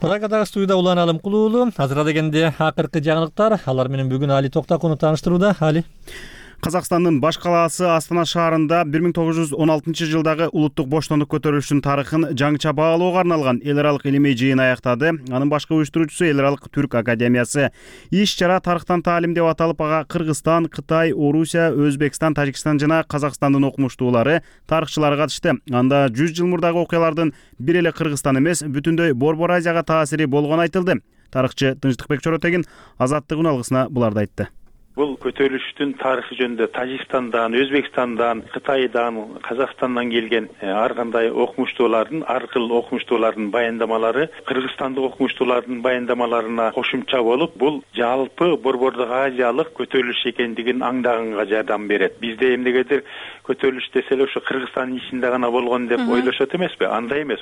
Прагадагы студияда Улан Алымкулуулу. Азыр дегенде акыркы жаңылыктар. Алар менен бүгүн Али Токтакунов тааныштырууда. Али. Казакстандын баш калаасы Астана шаарында 1916 жылдагы улуттук боштондук көтөрүлүшүнүн тарыхын жаңыча баалоого арналган эл аралык илимий жыйын аяктады. Анын башкы уюштуруучусу Эл аралык Түрк академиясы. Иш-чара тарыхтан таалим деп аталып, ага Кыргызстан, Кытай, Орусия, Өзбекстан, Тажикстан жана Казакстандын окумуштуулары, тарыхчылары катышты. Анда 100 жыл мурдагы окуялардын бир эле Кыргызстан эмес, бүтүндөй Борбор Азияга таасири болгону айтылды. Тарыхчы Тынчтыкбек Чоротегин Азаттык алгысына буларды айтты. Бул көтөрүлүштүн тарыхы жөнүндө Тажикстандан, Өзбекстандан, Кытайдан, Казакстандан келген ар кандай окумуштуулардын, ар кыл окумуштуулардын баяндамалары Кыргызстандык окумуштуулардын баяндамаларына кошумча болуп, бул жалпы Борбордук Азиялык көтөрүлүш экендигин аңдаганга жардам берет. Бизде эмнегедир көтөрүлүш десе эле ошо Кыргызстандын ичинде гана болгон деп ойлошот эмеспи? Андай эмес.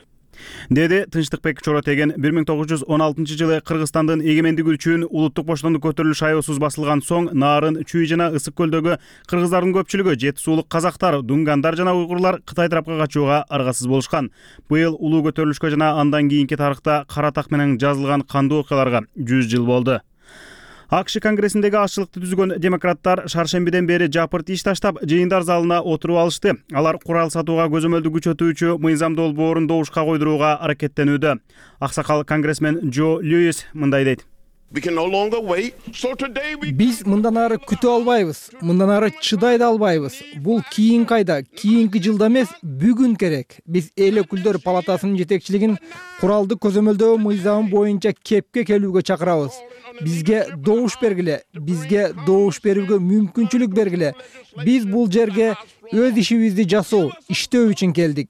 Деди Тынчтыкбек Чоротеген. 1916 жылы Кыргызстандын эгемендик үчүн улуттук боштондук көтөрүлүш аеосуз басылган соң Нарын, Чүй жана Ысык көлдөгү кыргыздардын көпчүлүгү, Жети суулук казактар, дунгандар жана уйгурлар Кытай тарапка качууга аргасыз болушкан. Быйыл улуу көтөрүлүшкө жана андан кийинки тарыхта кара так менен жазылган кандуу окуяларга 100 жыл болду. АКШ конгрессиндеги азчылыкты түзгөн демократтар шаршембиден бери жапырт иш таштап, жыйындар залына отуруп алышты. Алар курал сатууга көзөмөлдү күчөтүүчү мыйзам долбоорун добушка койдурууга аракеттенүүдө. Аксакал конгрессмен Джо Льюис мындай дейт. Биз мындан ары күтө албайбыз, мындан ары чыдай да албайбыз. Бул кийинки айда, кийинки жылда эмес, бүгүн керек. Биз эл өкүлдөр палатасынын жетекчилигин куралды көзөмөлдөө мыйзамы боюнча кепке келүүгө чакырабыз. Бизге добуш бергиле, бизге добуш берүүгө мүмкүнчүлүк бергиле. Биз бул жерге өз ишибизди жасоо, иштөө үчүн келдик.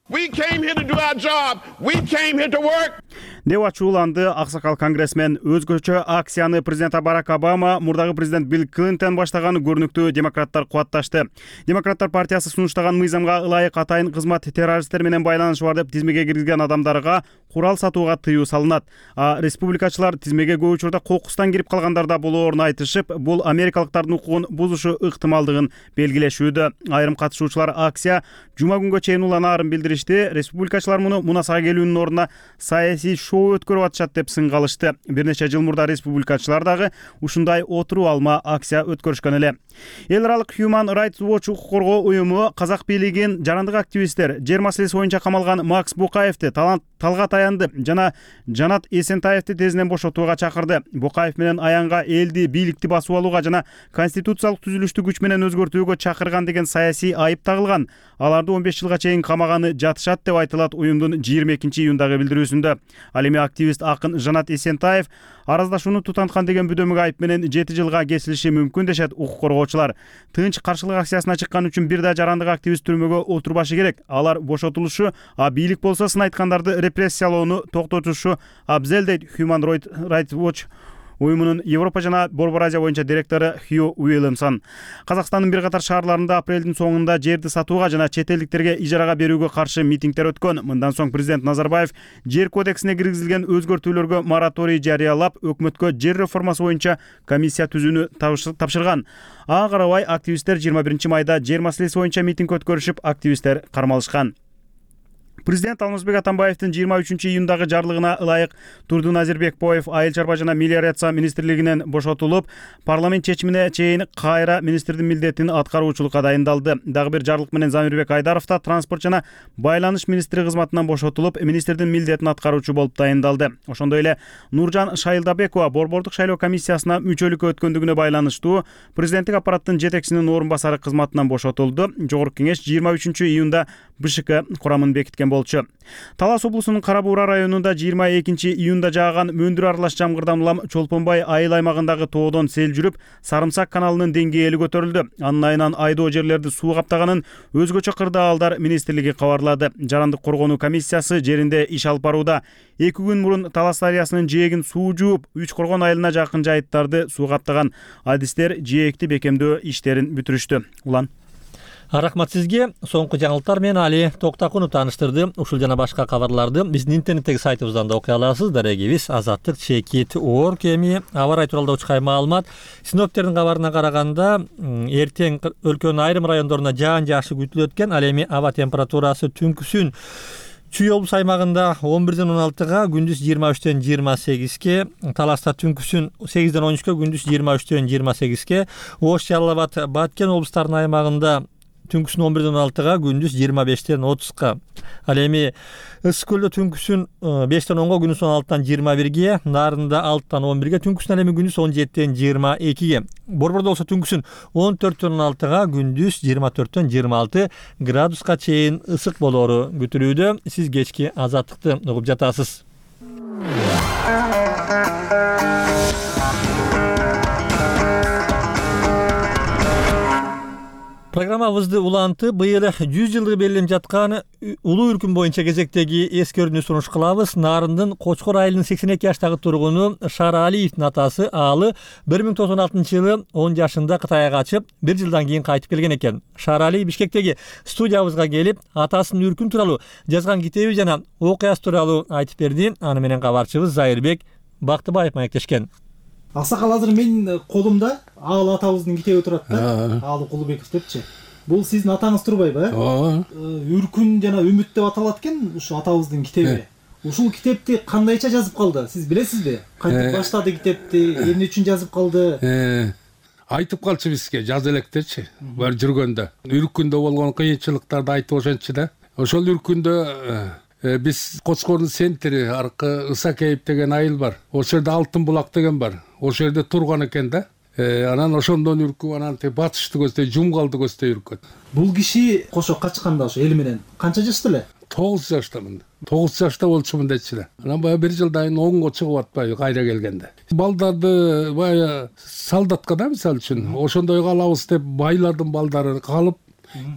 Деп ачууланды аксакал конгрессмен. Өзгөчө акцияны президент Барак Обама, мурдагы президент Билл Клинтон баштаган көрүнүктүү демократтар кубатташты. Демократтар партиясы сунуштаган мыйзамга ылайык атайын кызмат террористтер менен байланышы бар деп тизмеге киргизген адамдарга курал сатууга тыюу салынат. Республикачылар тизмеге көп учурда кокустан кирип калгандарда болоорун айтышып, бул америкалыктардын укугун бузушу ыктымалдыгын белгилешүүдө. Айрым катышуучулар акция жума күнгө чейин уланаарын билдиришти. Республикачылар муну мунасага келүүнүн ордуна саясий шоу өткөрүп атышат деп сынгалышты. Бир нече жыл мурда республикачылар дагы ушундай отуруу алма акция өткөрүшкөн эле. Эл аралык Human Rights Watch укук коргоо уюму казак бийлигин жарандык активисттер, жер маселеси боюнча камалган Макс Букаевди, Талгат Аянды жана Жанат Эсентаевди тезинен бошотууга чакырды. Букаев менен Аянга элди, бийликти басып алууга жана конституциялык түзүлүштү күч менен өзгөртүүгө чакырган деген саясий айып тагылган. Аларды 15 жылга чейин камаганы жатышат деп айтылат уюмдун 22-июндагы билдирүүсүндө. Ал эми активист акын Жанат Эсентаев араздашууну тутанткан деген бүдөмүк айып менен 7 жылга кесилиши мүмкүн дешет укук коргоочулар. Тынч каршылык акциясына чыккан үчүн бир да жарандык активист түрмөгө отурбашы керек. Алар бошотулушу, бийлик болсо сын айткандарды репрессиялоону токтотушу абзел дейт Human Rights Watch уюмунун Европа жана Борбор Азия боюнча директору Хью Уильямсон. Казакстандын бир катар шаарларында апрелдин соңунда жерди сатууга жана чет элдиктерге ижарага берүүгө каршы митингдер өткөн. Мындан соң президент Назарбаев жер кодексине киргизилген өзгөртүүлөргө мораторий жарыялап, өкмөткө жер реформасы боюнча комиссия түзүүнү тапшырган. Ага карабай активисттер 21 майда жер маселеси боюнча митинг өткөрүшүп, активисттер кармалышкан. Президент Алмазбек Атамбаевдин 23-июндагы жарлыгына ылайык Турдун Азирбекбоев Айыл чарба жана мелиорация министрлигинен бошотулуп, парламент чечимине чейин кайра министрдин милдетин аткаруучулукка дайындалды. Дагы бир жарлык менен Замирбек Айдаров да транспорт жана байланыш министри кызматынан бошотулуп, министрдин милдетин аткаруучу болуп дайындалды. Ошондой эле Нуржан Шайылдабекова борбордук шайлоо комиссиясына мүчөлүккө өткөндүгүнө байланыштуу президенттик аппараттын жетекчисинин орун басары кызматынан бошотулду. Жогорку кеңеш 23-июнда БШК курамын бекиткен болчу. Талас облусунун Кара Буура районунда 22-июнда жааган мөндүр аралаш жамгырдан улам Чолпонбай айыл аймагындагы тоодон сел жүрүп, Сарымсак каналынын деңгээли көтөрүлдү. Анын айынан айдоо жерлерди суу каптаганын өзгөчө кырдаалдар министрлиги кабарлады. Жарандык коргонуу комиссиясы жеринде иш алып барууда. 2 күн мурун Талас дарыясынын жээгин суу жууп, Үч Коргон айылына жакын жайыттарды суу каптаган адистер жээкти бекемдөө иштерин бүтүрүштү. Улан Рахмат сизге. Соңку жаңылыктар менен Али Токтакунов тааныштырды. Ушул жана башка кабарларды биздин интернеттеги сайтыбыздан да окуй аласыз. Дарегибиз Азаттык ЧК.org эми аба ырайы тууралуу учкай маалымат. Синоптиктердин кабарына караганда, эртең өлкөнүн айрым райондоруна жаан жаашы күтүлөт экен. Ал эми аба температурасы түнкүсүн Чүй облус аймагында 11-ден 16-га, күндүз 23-тен 28-ке, Таласта түнкүсүн 8-ден 13-ке, күндүз 23-тен 28-ке, Ош, Жалал Абад, Баткен облустарынын аймагында түнкүсүн 11-ден 16-га, күндүз 25-тен 30-ка. Ал эми Ысык көлдө түнкүсүн 5-тен 10-га, күндүз 16-тан 21-ге, Нарында 6-тан 11-ге, түнкүсүн ал эми күндүз 17-тен 22-ге. Борбордо болсо түнкүсүн 14-тен 16-га, күндүз 24-тен 26 градуска чейин ысык болоору күтүлүүдө. Сиз кечки Азаттыкты угуп жатасыз. Программабызды улантып, быйыл 100 жылдыгы белгиленип жаткан улуу үркүн боюнча кезектеги эскерүүнү сунуш кылабыз. Нарындын Кочкор айылынын 82 жаштагы тургуну Шаралиевдин атасы Аалы 1996-жылы 10 жашында Кытайга качып, 1 жылдан кийин кайтып келген экен. Шарали Бишкектеги студиябызга келип, атасынын үркүн тууралуу жазган китеби жана окуясы тууралуу айтып берди. Аны менен кабарчыбыз Зайырбек Бактыбаев маектешкен. Аксакал, азыр менин колумда Аалы атабыздын китеби турат да. Аалы Кулубеков депчи. Бул сиздин атаңыз турбайбы, э? Үркүн жана үмүт деп аталат экен ушу атабыздын китеби. Ушул китепти кандайча жазып калды? Сиз билесизби? Кантип баштады китепти? Эмне үчүн жазып калды? Айтып калчу бизге, жаз электечи. Бар жүргөндө. Үркүндө болгон кыйынчылыктарды айтып ошентчи да. Ошол үркүндө биз Кочкордун центри аркы Ысакеев деген айыл бар. Ошол жерде Алтын булак деген бар. Ошол жерде турган экен да. Анан ошондон үркүп, анан батышты көздөй, Жумгалды көздөй үркөт. Бул киши кошо качканда ошо эл менен канча жашта эле? 9 жаштамын. 9 жашта болчумун дечи эле. Анан баягы 1 жылдан 10го чыгып атпайбы кайра келгенде. Балдарды баягы солдатка да мисалы үчүн ошондой калабыз деп байлардын балдары калып,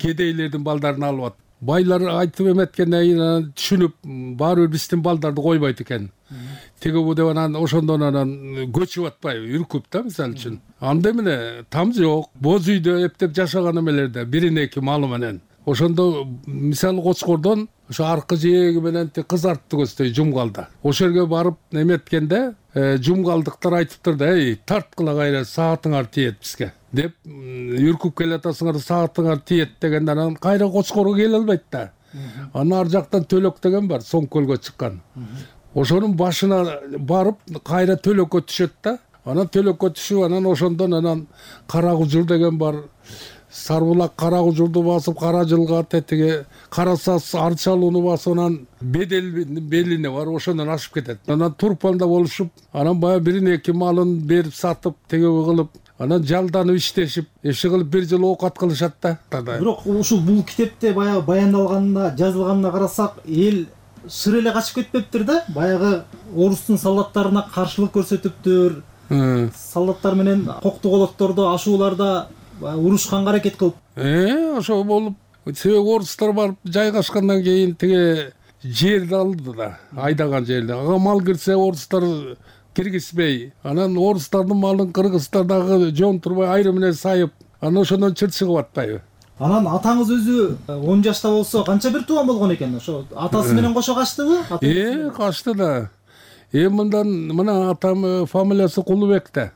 кедейлердин балдарын алып атты. Байлар айтып эметкенден кийин түшүнүп, баары бир биздин балдарды койбойт экен. Теге бу деп анан ошондон анан көчүп атпайбы, үркүп да мисалы үчүн. Анда эмне там жок, боз үйдө эптеп жашаган эмелерде, бирин эки малы менен. Ошондо мисалы Кочкордон ошо аркы жээги менен кызартты көздөй Жумгалда. Ошол жерге барып эметкенде жумгалдыктар айтыптыр да, тарткыла кайра саатыңар тиет бизге деп, үркүп келатасыңар саатыңар тиет дегенде анан кайра Кочкорго келе албайт да. Анан ар жактан Төлөк деген бар, Соң көлгө чыккан. Ошонун башына барып кайра Төлөккө түшөт да. Анан Төлөккө түшүп, анан ошондон анан Кара Кужур деген бар. Сарбулак Кара Кужурду басып, Кара Жылга тетиге Карасас Арчалууну басып, анан Беделдин белине бар, ошондон ашып кетет. Анан Турпанда болушуп, анан баягы бирин эки малын берип сатып, теге кылып, анан жалданып иштешип, иши кылып 1 жыл оокат кылышат да. Бирок ушул бул китепте баягы баяндалганына, жазылганына карасак, эл шыр эле качып кетпептир да. Баягы орустун солдаттарына каршылык көрсөтүптүр. Солдаттар менен коктуголоттордо, ашууларда урушканга аракет кылып. Ошо болуп, себеби орустар барып жайгашкандан кийин теге жерди алды да, айдаган жерди. Ага мал кирсе орустар киргизбей, анан орустардын малын кыргыздар дагы жон турбай айрым менен сайып, анан ошондон чыр чыгып атпайбы. Анан атаңыз өзү 10 жашта болсо канча бир тууган болгон экен? Ошо атасы менен кошо качтыбы? Качты да. Мындан мына атам фамилиясы Кулубек да.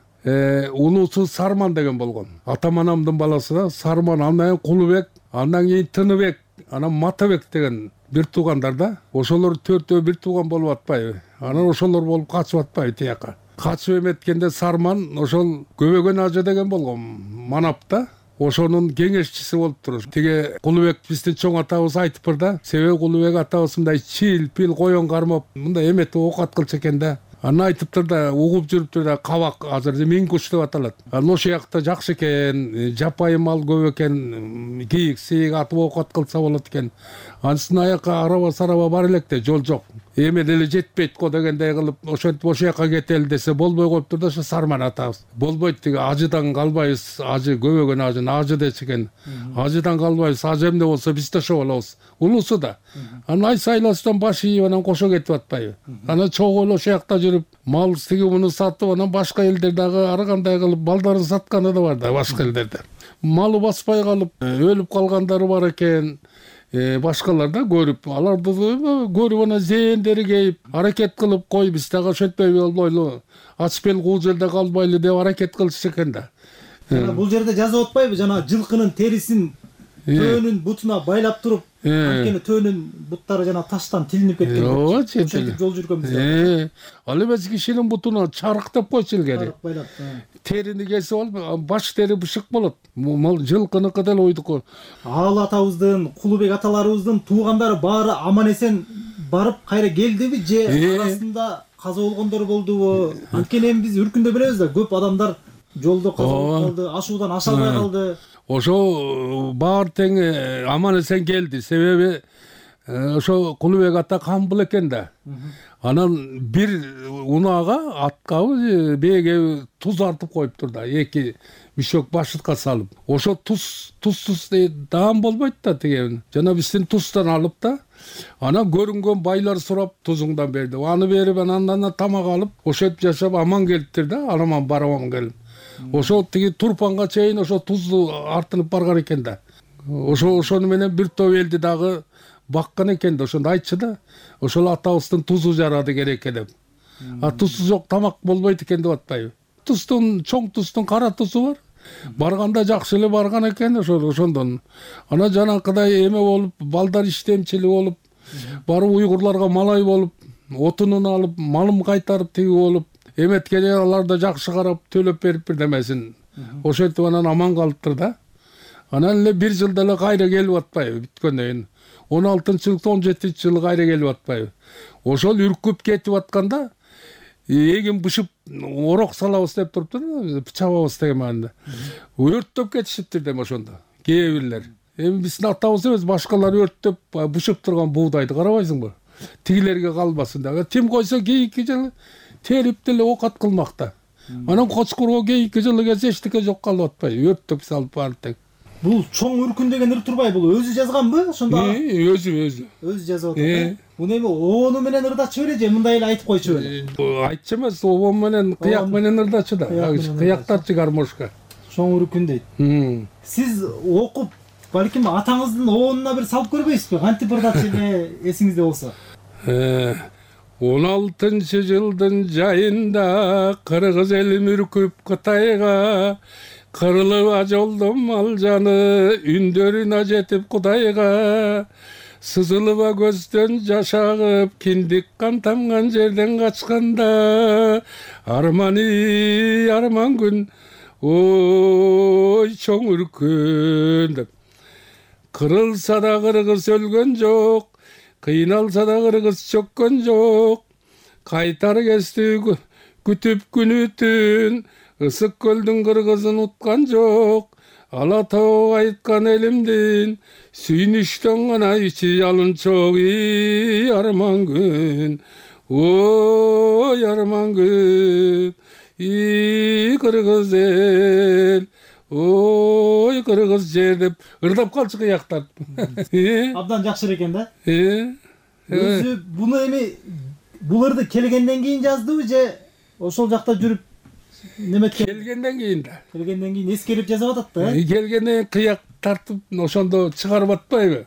Улуусу Сарман деген болгон. Атам анамдын баласы да Сарман, андан кийин Кулубек, андан кийин Тыныбек, анан Матабек деген бир туугандар да. Ошолор 4 бир тууган болуп атпайбы? Анан ошолор болуп качып атпайбы тияка? Качып эметкенде Сарман ошол Көбөгөн ажы деген болгон Манапта. Ошонун кеңешчиси болуптур. Тиги Кулубек биздин чоң атабыз айтыптыр да. Себеби Кулубек атабыз мындай чил, пил, коён кармап, мындай эметип оокат кылчу экен да. Аны айтыптыр да, угуп жүрүптүр да, кабак азыр минкуш деп аталат. Анан ошол жакта жакшы экен, жапайы мал көп экен, кийик, сейик атып оокат кылса болот экен. Анысына аяка араба сараба бар электе, жол жок. Эме деле жетпейт го дегендей кылып, ошентип ошол жака кетели десе болбой коюптур да, ошо Сарман атабыз. Болбойт тиги ажыдан калбайбыз, ажы Көбөгөн ажын ажы дечи экен. Ажыдан калбайбыз, ажы эмне болсо биз да ошо болобуз. Улусу да. Анан ай сайласынан баш ийип анан кошо кетип атпайбы. Анан чогуу ошол жакта жүрүп, мал тиги муну сатып, анан башка элдер дагы ар кандай кылып балдарын сатканы да бар да башка элдерде. Малы баспай калып, өлүп калгандары бар экен. Башкалар да көрүп, аларды көрүп анан зээндери кейип, аракет кылып кой биз дагы ошентпей болбойлу, ач бел кул жерде калбайлы деп аракет кылышчу экен да. Бул жерде жазып атпайбы, жана жылкынын терисин төөнүн бутуна байлап туруп, анткени төөнүн буттары жана таштан тилинип кеткен. Ооба, ошентип жол жүргөнбүз. Ал эмес кишинин бутуна чарык деп койчу илгери. Терини кесип алып, баш тери бышык болот. Мал жылкыныкы деле ойдуку. Ал атабыздын, Кулубек аталарыбыздын туугандары баары аман эсен барып кайра келдиби же арасында каза болгондор болдубу? Анткени эми биз Үркүндө билебиз да, көп адамдар жолдо каза болуп калды, ашуудан аша албай калды. Ошо баары тең аман эсен келди. Себеби ошо Кулубек ата камбыл экен да. Анан бир унаага аткабы бээге туз артып коюптур да, 2 мишок башытка салып. Ошо тузсуз даам болбойт да тиги. Жана биздин туздан алып да, анан көрүнгөн байлар сурап тузуңдан берди. Аны берип анан тамак алып, ошентип жашап аман келиптир да, араман бараман келип. Ошо тиги Турпанга чейин ошо тузду артынып барган экен да. Ошону менен бир топ элди дагы баккан экен да, ошондо айтчу да. Ошол атабыздын тузу жарады керекке деп. Тузсуз жок тамак болбойт экен деп атпайбы. Туздун, чоң туздун кара тузу бар. Барганда жакшы эле барган экен ошондон. Анан жанакыдай эме болуп, балдар иштемчили болуп, барып уйгурларга малай болуп, отунун алып, малым кайтарып тиги болуп, эметкене алар да жакшы карап төлөп берип бирдемесин. Ошентип анан аман калыптыр да. Анан эле бир жылда эле кайра келип атпайбы бүткөндөн кийин. 16-жылы, 17-жылы кайра келип атпайбы. Ошол үркүп кетип атканда эгин бышып орок салабыз деп туруптур, чабабыз деген маанада. Өрттөп кетишиптир дем ошондо. Кээ бирлер. Эми биздин атабыз эмес, башкалар өрттөп бышып турган буудайды карабайсыңбы? Тигилерге калбасын деп. Тим койсо кийинки жылы терип деле оокат кылмакта. Анан кочкурго кийинки жылы келсе эчтеке жок калып атпайбы, өрттөп салып баардык. Бул чоң үркүн деген ыр турбай, бул өзү жазганбы ошондо? Өзү жазып атат. Муну эми обону менен ырдачы беле же мындай эле айтып койчу беле? Айтчу эмес, обон менен кыяк менен ырдачу да. Кыяктарчы гармошка. Чоң үркүн дейт. Сиз окуп, балким атаңыздын обонуна бир салып көрбөйсүзбү? Кантип ырдачу эле эсиңизде болсо? 16-жылдын жайында кыргыз элим үркүп Кытайга, кырылып жолдон мал жаны, үндөрүнө жетип Кудайга. Сызылыба көздөн жаш агып, киндик кан тамган жерден качканда, арманы арман күн, ой чоң үркүн деп. Кырылса да кыргыз өлгөн жок, кыйналса да кыргыз чөккөн жок. Кайтар кести күтүп күнү түн, ысык көлдүн кыргызын уткан жок. Ала тоо айткан элимдин, сүйүнүштөн гана ичи алынчок. Арман күн, ой арман күн, кыргыз эл, ой кыргыз жер деп ырдап калчу кыяктар. Абдан жакшы экен да. Өзү буну эми бул ырды келгенден кийин жаздыбы же ошол жакта жүрүп келгенден кийин да. Келгенден кийин эскерип жазып атат да. Келгенде кыяк тартып ошондо чыгарып атпайбы?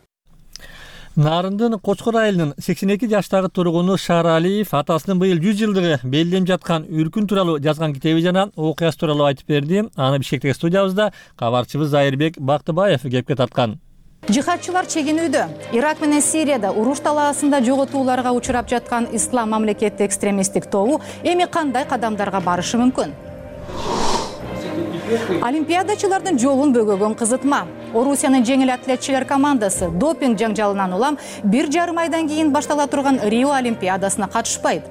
Нарындын Кочкор айылынын 82 жаштагы тургуну Шааралиев атасынын быйыл 100 жылдыгы белгиленип жаткан үркүн тууралуу жазган китеби жана окуясы тууралуу айтып берди. Аны Бишкектеги студиябызда кабарчыбыз Айырбек Бактыбаев кепке тарткан. Жихадчылар чегинүүдө. Ирак менен Сирияда уруш талаасында жоготууларга учурап жаткан ислам мамлекети экстремисттик тобу эми кандай кадамдарга барышы мүмкүн? Олимпиадачылардын жолун бөгөгөн кызытма. Орусиянын жеңил атлетчилер командасы допинг жаңжалынан улам 1,5 айдан кийин баштала турган Рио Олимпиадасына катышпайт.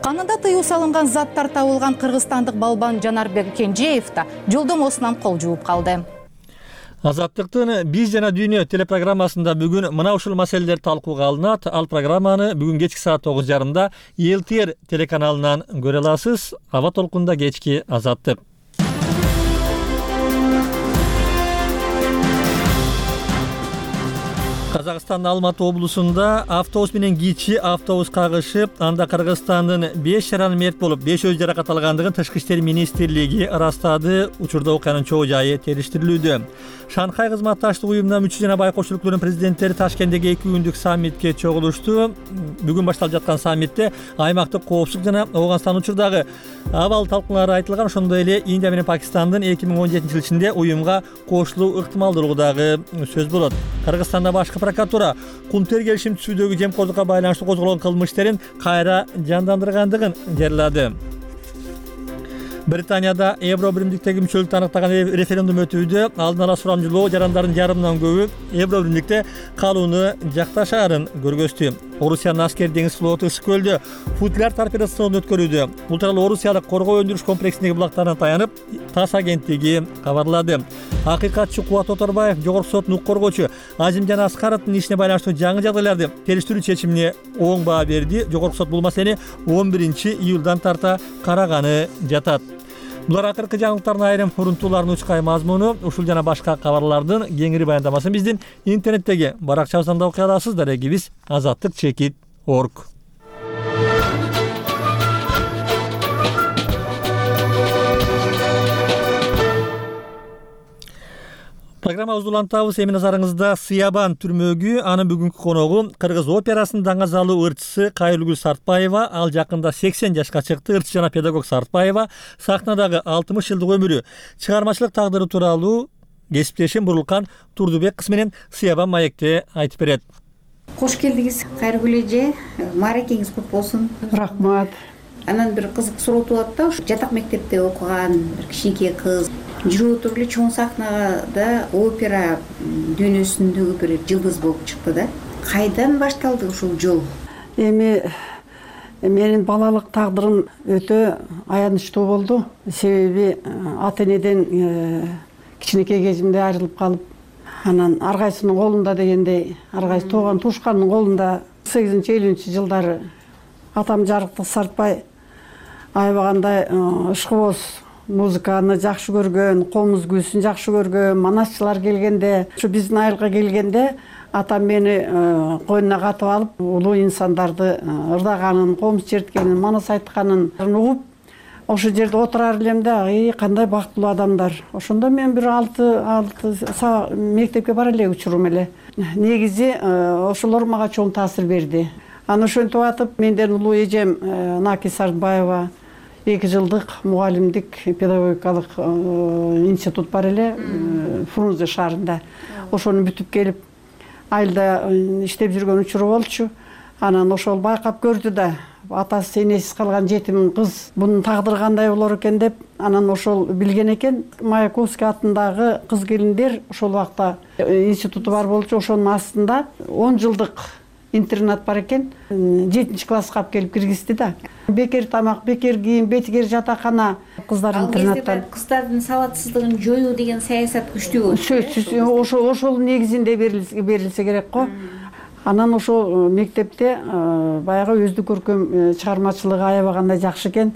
Канында тыюу салынган заттар табылган кыргызстандык балбан Жанарбек Кенжеев да жолдомосунан кол жууп калды. Азаттыктын «Биз жана дүйнө» телепрограммасында бүгүн мына ушул маселелер талкууга алынат. Ал программаны бүгүн кечки саат 9:30 ЛТР телеканалынан көрө аласыз. Аба толкунда кечки Азаттык. Казакстандын Алматы облусунда автобус менен кичи автобус кагышып, анда Кыргызстандын 5 жаран мерт болуп, 5 өз жаракат алгандыгын Тышкы иштер министрлиги ырастады. Учурда окуянын чоо жайы териштирилүүдө. Шанхай кызматташтык уюмунун мүчө жана байкош өлкөлөрүнүн президенттери Ташкенттеги 2 күндүк саммитке чогулушту. Бүгүн башталып жаткан саммитте аймактык коопсуздук жана Ооганстан учурдагы абал талкуулары айтылган. Ошондой эле Индия менен Пакистандын 2017-жыл ичинде уюмга кошулуу ыктымалдуулугу дагы сөз болот. Кыргызстанда башкы прокуратура кум тер келишим түзүүдөгү жемкорлукка байланыштуу козголгон кылмыш иштерин кайра жандандыргандыгын жарыялады. Британияда Евро биримдиктеги мүчөлүктү аныктаган референдум өтүүдө. Алдын ала сурамжылоо жарандардын жарымынан көбү Евро биримдикте калууну жакташаарын көргөздү. Орусиянын аскер деңиз флоту Ысык көлдө футляр торпедосунан өткөрүүдө. Бул тууралуу Орусиялык коргоо өндүрүш комплексиндеги булактарына таянып, ТАСС агенттиги кабарлады. Акыйкатчы Кубат Оторбаев Жогорку соттун укук коргоочу Азимжан Аскаровдун ишине байланыштуу жаңы жагдайларды териштирүү чечимине оң баа берди. Жогорку сот бул маселени 11-июлдан тарта караганы жатат. Булар акыркы жаңылыктардын айрым урунтууларынын учкай мазмуну. Ушул жана башка кабарлардын кеңири баяндамасын биздин интернеттеги баракчабыздан да окуй аласыз. Дарегибиз azattikchekit.org. Программабызды улантабыз. Эми назарыңызда Сыябан түрмөгү. Анын бүгүнкү коногу Кыргыз операсынын даңазалуу ырчысы Кайыргүл Сартбаева. Ал жакында 80 жашка чыкты. Ырчы жана педагог Сартбаева сахнадагы 60 жылдык өмүрү, чыгармачылык тагдыры тууралуу кесиптешим Бурулкан Турдубек кыз менен Сыябан маекте айтып берет. Кош келдиңиз Кайыргүл эже. Мааракеңиз кут болсун. Рахмат. Анан бир кызык суроо туулат да. Жатак мектепте окуган бир кичинекей кыз жүрүп туруп эле чоң сахнада опера дүйнөсүндөгү бир жылдыз болуп чыкты да. Кайдан башталды ушул жол? Эми менин балалык тагдырым өтө аянычтуу болду. Себеби ата энеден кичинекей кезимде айрылып калып, анан ар кайсынын колунда дегендей, ар кайсы тууган туушкандын колунда 8-50-жылдары атам Жарыктык Сартбай аябагандай ышкыбоз музыканы жакшы көргөн, комуз күүсүн жакшы көргөн, манасчылар келгенде, ушу биздин айылга келгенде атам мени койнуна катып алып, улуу инсандарды ырдаганын, комуз черткенин, манас айтканын угуп, ошол жерде отурар элем да, кандай бактылуу адамдар. Ошондо мен бир 6 мектепке бара элек учурум эле. Негизи ошолор мага чоң таасир берди. Аны ошентип атып, менден улуу эжем Наки Сартбаева 2 жылдык мугалимдик педагогикалык институт бар эле Фрунзе шаарында. Ошону бүтүп келип, айылда иштеп жүргөн учуру болчу. Анан ошол байкап көрдү да, атасы энесиз калган жетим кыз бунун тагдыры кандай болор экен деп, анан ошол билген экен. Маяковский атындагы кыз келиндер ошол убакта институту бар болчу. Ошонун астында 10 жылдык интернат бар экен. 7-класска алып келип киргизди да. Бекер тамак, бекер кийим, бекер жатакана, кыздар интернаттан. Кыздардын сабатсыздыгын жоюу деген саясат күчтүү. Сөзсүз ошол негизинде берилсе керек го. Анан ошол мектепте баягы өздүк көркөм чыгармачылыгы аябагандай жакшы экен.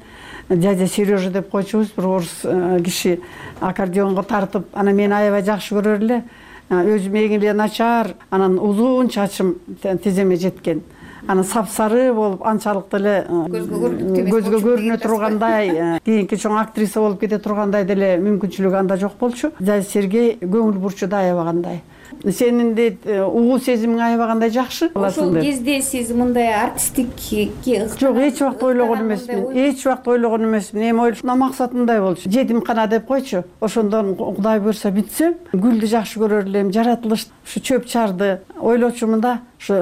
Дядя Сережа деп койчубуз, бир орус киши аккордеонго тартып, анан мени аябай жакшы көрөр эле. Өзүм эң начар, анан узун чачым тиземе жеткен. Анан сапсары болуп, анчалык деле көзгө көрүнө тургандай, кийинки чоң актриса болуп кете тургандай деле мүмкүнчүлүгү анда жок болчу. Дядя Сергей көңүл бурчу да аябагандай. Сенин дейт угуу сезимиң аябагандай жакшы. Ошол кезде сиз мындай артисттикке жок, эч убакта ойлогон эмесмин. Эч убакта ойлогон эмесмин. Эми ойлошум, максат мындай болчу. Жетимкана деп койчу. Ошондон Кудай буйрса бүтсөм, гүлдү жакшы көрөр элем, жаратылыш ушу чөп чарды ойлочумун да, ушу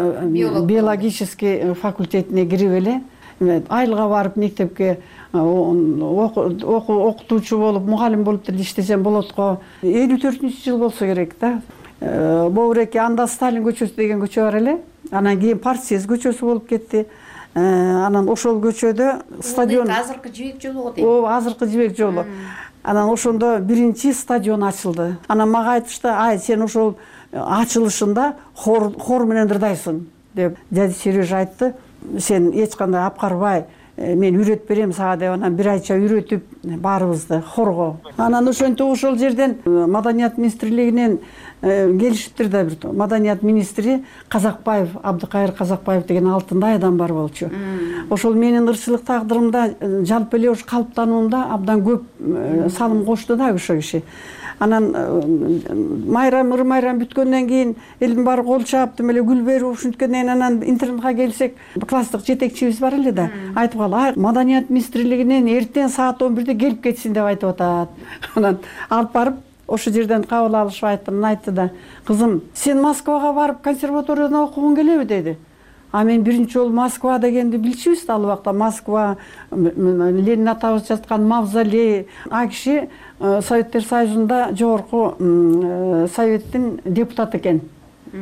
биологический факультетине кирип эле айылга барып мектепке окутуучу болуп, мугалим болуп деле иштесем болот го. 54-жыл болсо керек да. Бобуреке анда Сталин көчөсү деген көчө бар эле. Анан кийин Партсъезд көчөсү болуп кетти. Анан ошол көчөдө стадион. Азыркы Жибек жолу го дейт. Ооба, азыркы Жибек жолу. Анан ошондо биринчи стадион ачылды. Анан мага айтышты, ай, сен ошол ачылышында хор менен ырдайсың деп дяди Сережа айтты. Сен эч кандай апкарбай, мен үйрөтүп берем сага деп, анан бир айча үйрөтүп баарыбызды хорго. Анан ошентип ошол жерден Маданият министрлигинен келишиптир да, бир Маданият министри Казакбаев, Абдыкайыр Казакбаев деген алтындай адам бар болчу. Ошол менин ырчылык тагдырымда, жалпы эле ош калыптануумда абдан көп салым кошту да ошол киши. Анан майрам, ыр майрам бүткөндөн кийин элдин баары кол чаап, тим эле гүл берип ушинткенден кийин анан интернетке келсек, класстык жетекчибиз бар эле да, айтып калды, ай, Маданият министрлигинен эртең саат 11-де келип кетсин деп айтып атат. Анан алып барып ошол жерден кабыл алышып айттым, айтты да, кызым, сен Москвага барып консерваторияда окугуң келеби деди. А мен биринчи жолу Москва дегенди билчүбүз да, ал убакта Москва, Ленин атабыз жаткан мавзолей. А киши Советтер Союзунда жогорку советтин депутаты экен.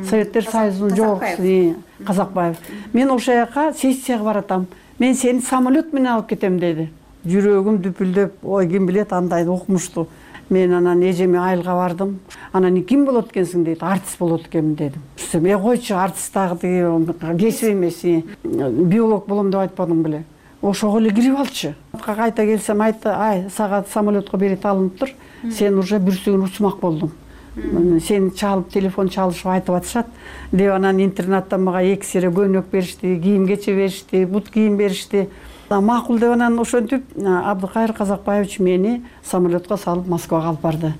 Советтер Союзунун жогоркусу Казакбаев. Мен ошол жака сессияга баратам. Мен сени самолет менен алып кетем деди. Жүрөгүм дүпүлдөп, ой, ким билет андай окумушту. Мен анан эжеме айылга бардым. Анан ким болот экенсиң дейт, артист болот экенмин дедим. Койчу, артист дагы кесип эмес, биолог болом деп айтпадың беле. Ошого эле кирип алчы. Кайта келсем айтты, ай, сага самолетко билет алыныптыр. Сен уже бүрсүгүн учмак болдуң. Сени чалып, телефон чалышып айтып атышат деп, анан интернаттан мага 2 сере көнөк беришти, кийим кече беришти, бут кийим беришти. Макул деп анан ошентип Абдыкайыр Казакбаевич мени самолетко салып Москвага алып барды.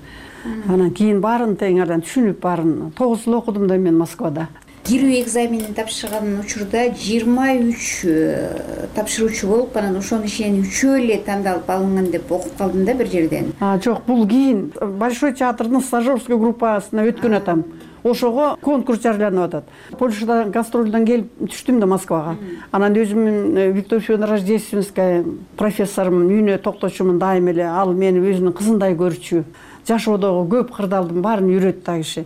Анан кийин баарын тең анан түшүнүп баарын 9 жыл окудум да мен Москвада. Кирүү экзаменин тапшырган учурда 23 тапшыруучу болуп, анан ошонун ичинен 3 эле тандалып алынган деп окуп калдым да бир жерден. Жок, бул кийин Большой театрдын стажерский группасына өткөн атам. Ошого конкурс жарыяланып атат. Польшадан гастролдон келип түштүм да Москвага. Анан өзүмүн Виктор Федоровна Рождественская профессорумун үйүнө токточумун дайым эле. Ал мени өзүнүн кызындай көрчү. Жашоодогу көп кырдаалдын баарын үйрөттү ал киши.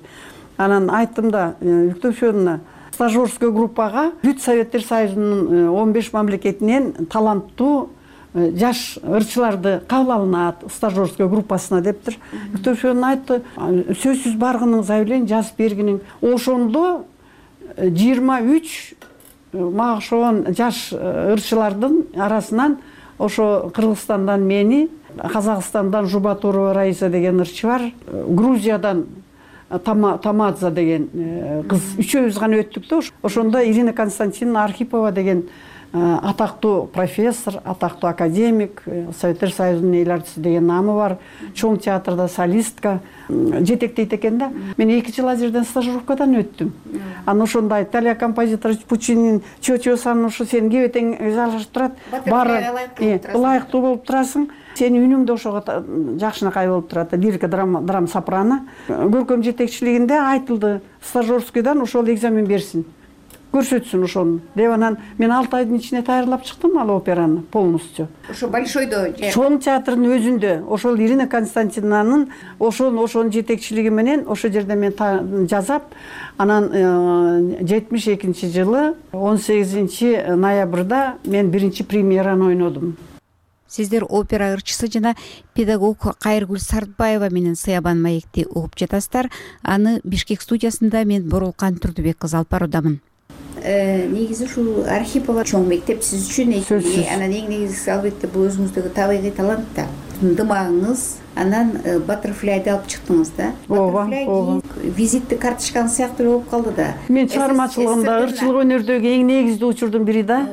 Анан айттым да, Виктор Федоровна, стажерский группага бүт Советтер Союзунун 15 мамлекетинен таланттуу жаш ырчыларды кабыл алынат стажерский группасына дептир. Виктор Федоровна айтты, сөзсүз баргынын заявление жазып бергиниң. Ошондо 23 мага ошон жаш ырчылардын арасынан ошо Кыргызстандан мени, Казакстандан Жубатурова Раиса деген ырчы бар, Грузиядан Тамадзе деген кыз, үчөөбүз гана өттүк да. Ошондо Ирина Константиновна Архипова деген атактуу профессор, атактуу академик, Советтер Союзунун эл артисти деген намы бар, чоң театрда солистка жетектейт экен да. Мен 2 жыл ал жерден стажировкадан өттүм. Анан ошондо Италия композитор Пуччинин чочосун ушу сен кебетең жалгашып турат, баары ылайыктуу болуп турасың. Сенин үнүң да ошого жакшынакай болуп турат. Лирика драма сопрано. Көркөм жетекчилигинде айтылды, стажерскийдан ошол экзамен берсин. Көрсөтсүн ошону. Деп анан мен 6 айдын ичинде даярдап чыктым ал операны полностью. Ошо Большойдо. Чоң театрдын өзүндө, ошол Ирина Константиновнанын ошонун жетекчилиги менен ошол жерде мен жазап, анан 72-жылы 18 ноябрда мен биринчи премьераны ойнодум. Сиздер опера ырчысы жана педагог Кайыргүл Сартбаева менен Сыябан маекти угуп жатасыздар. Аны Бишкек студиясында мен Боролкан Турдубек кызы алып баруудамын. Негизи ушул Архипова чоң мектеп сиз үчүн, анан эң негизгиси албетте бул өзүңүздөгү табигый талант да, ындымагыңыз, анан Баттерфляйды алып чыктыңыз да. Ооба. Визиттик карточкаңыз сыяктуу болуп калды да. Мен чыгармачылыгымда ырчылык өнөрдөгү эң негиздүү учурдун бири да.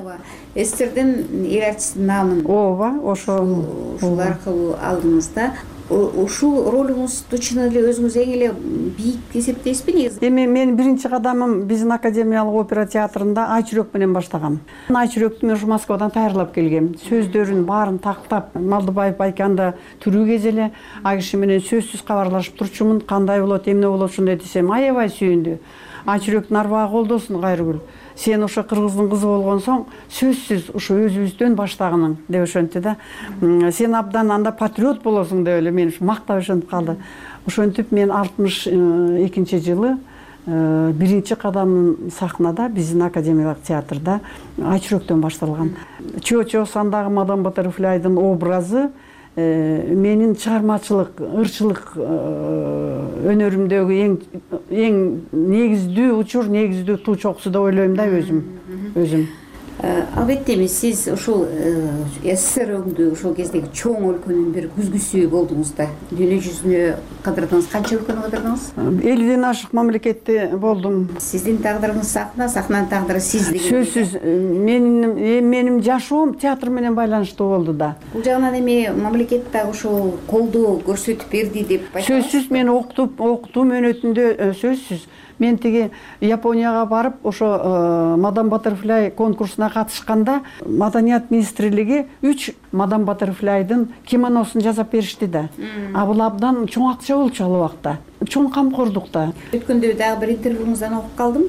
СССРдин эл артисинин наамын. Ооба, ошол аркылуу алдыңыз да. ушул ролуңузду чын эле өзүңүз эң эле бийик эсептейсизби негизи? Эми менин биринчи кадамым биздин академиялык опера театрында Ай чүрөк менен баштагам. Ай чүрөктү мен ушу Москвадан даярдап келгем. Сөздөрүн баарын тактап, Малдыбаев Байканда тирүү кез эле ал киши менен сөзсүз кабарлашып турчумун. Кандай болот, эмне болот ушундай десем, аябай сүйүндү. Ай чүрөктүн арбагы колдосун Кайрыгүл. Сен ошо кыргыздын кызы болгон соң сөзсүз ушу өзүбүздөн баштагының деп ошентти да. Сен абдан анда патриот болосуң деп эле мени мактап ошентип калды. Ошентип мен 62-жылы биринчи кадамым сахнада биздин академиялык театрда Ай чүрөктөн башталган. Чо сандагы мадам Баттерфляйдын образы менин чыгармачылык, ырчылык өнөрүмдөгү эң негиздүү учур, негиздүү туу чокусу деп ойлойм да өзүм. Албетте эми сиз ушул СССР-өңдү ошол кездеги чоң өлкөнүн бир күзгүсү болдуңуз да. Дүйнө жүзүнө кыдырдыңыз, канча өлкөнү кыдырдыңыз? 50ден ашык мамлекетте болдум. Сиздин тагдырыңыз сахна, сахнанын тагдыры сиз деген. Сөзсүз менин жашоом театр менен байланыштуу болду да. Бул жагынан эми мамлекет дагы ошол колдоо көрсөтүп берди деп айтасыз? Сөзсүз мен окутум өнөтүндө сөзсүз. Мен тиги Японияга барып, ошо Мадам Баттерфляй конкурсуна катышканда Маданият министрлиги 3 Мадам Баттерфляйдын кимоносун жасап беришти да. А бул абдан чоң акча болчу ал убакта. Чоң камкордукта. Өткөндө дагы бир интервьюңуздан окуп калдым.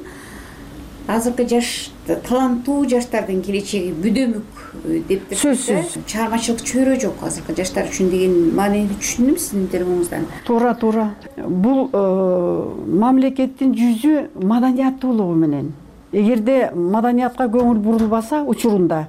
Азыркы жаш таланттуу жаштардын келечеги бүдөмүк деп сөзсүз. Чыгармачылык чөйрө жок азыркы жаштар үчүн деген маанини түшүндүм сиздин интервьюңуздан. Туура. Бул мамлекеттин жүзү маданияттуулугу менен. Эгерде маданиятка көңүл бурулбаса учурунда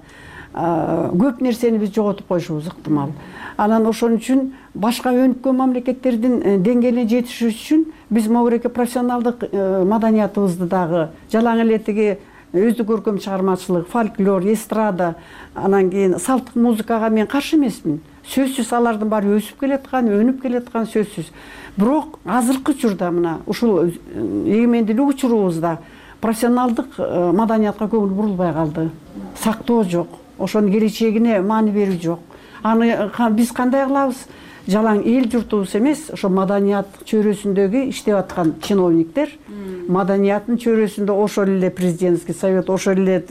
көп нерсени биз жоготуп коюшубуз ыктымал. Анан ошон үчүн башка өнүккөн мамлекеттердин деңгээлине жетишиш үчүн биз могуреке профессионалдык маданиятыбызды дагы жалаң эле тиги өздүк көркөм чыгармачылык, фольклор, эстрада, анан кийин салттык музыкага мен каршы эмесмин. Сөзсүз алардын баары өсүп келаткан, өнүп келаткан сөзсүз. Бирок азыркы учурда мына ушул эгемендүүлүк учурубузда профессионалдык маданиятка көңүл бурулбай калды. Сактоо жок. Ошонун келечегине маани берүү жок. Аны биз кандай кылабыз? Жалаң эл журтубуз эмес, ошо маданият чөйрөсүндөгү иштеп аткан чиновниктер, маданияттын чөйрөсүндө ошол эле президентский совет, ошол эле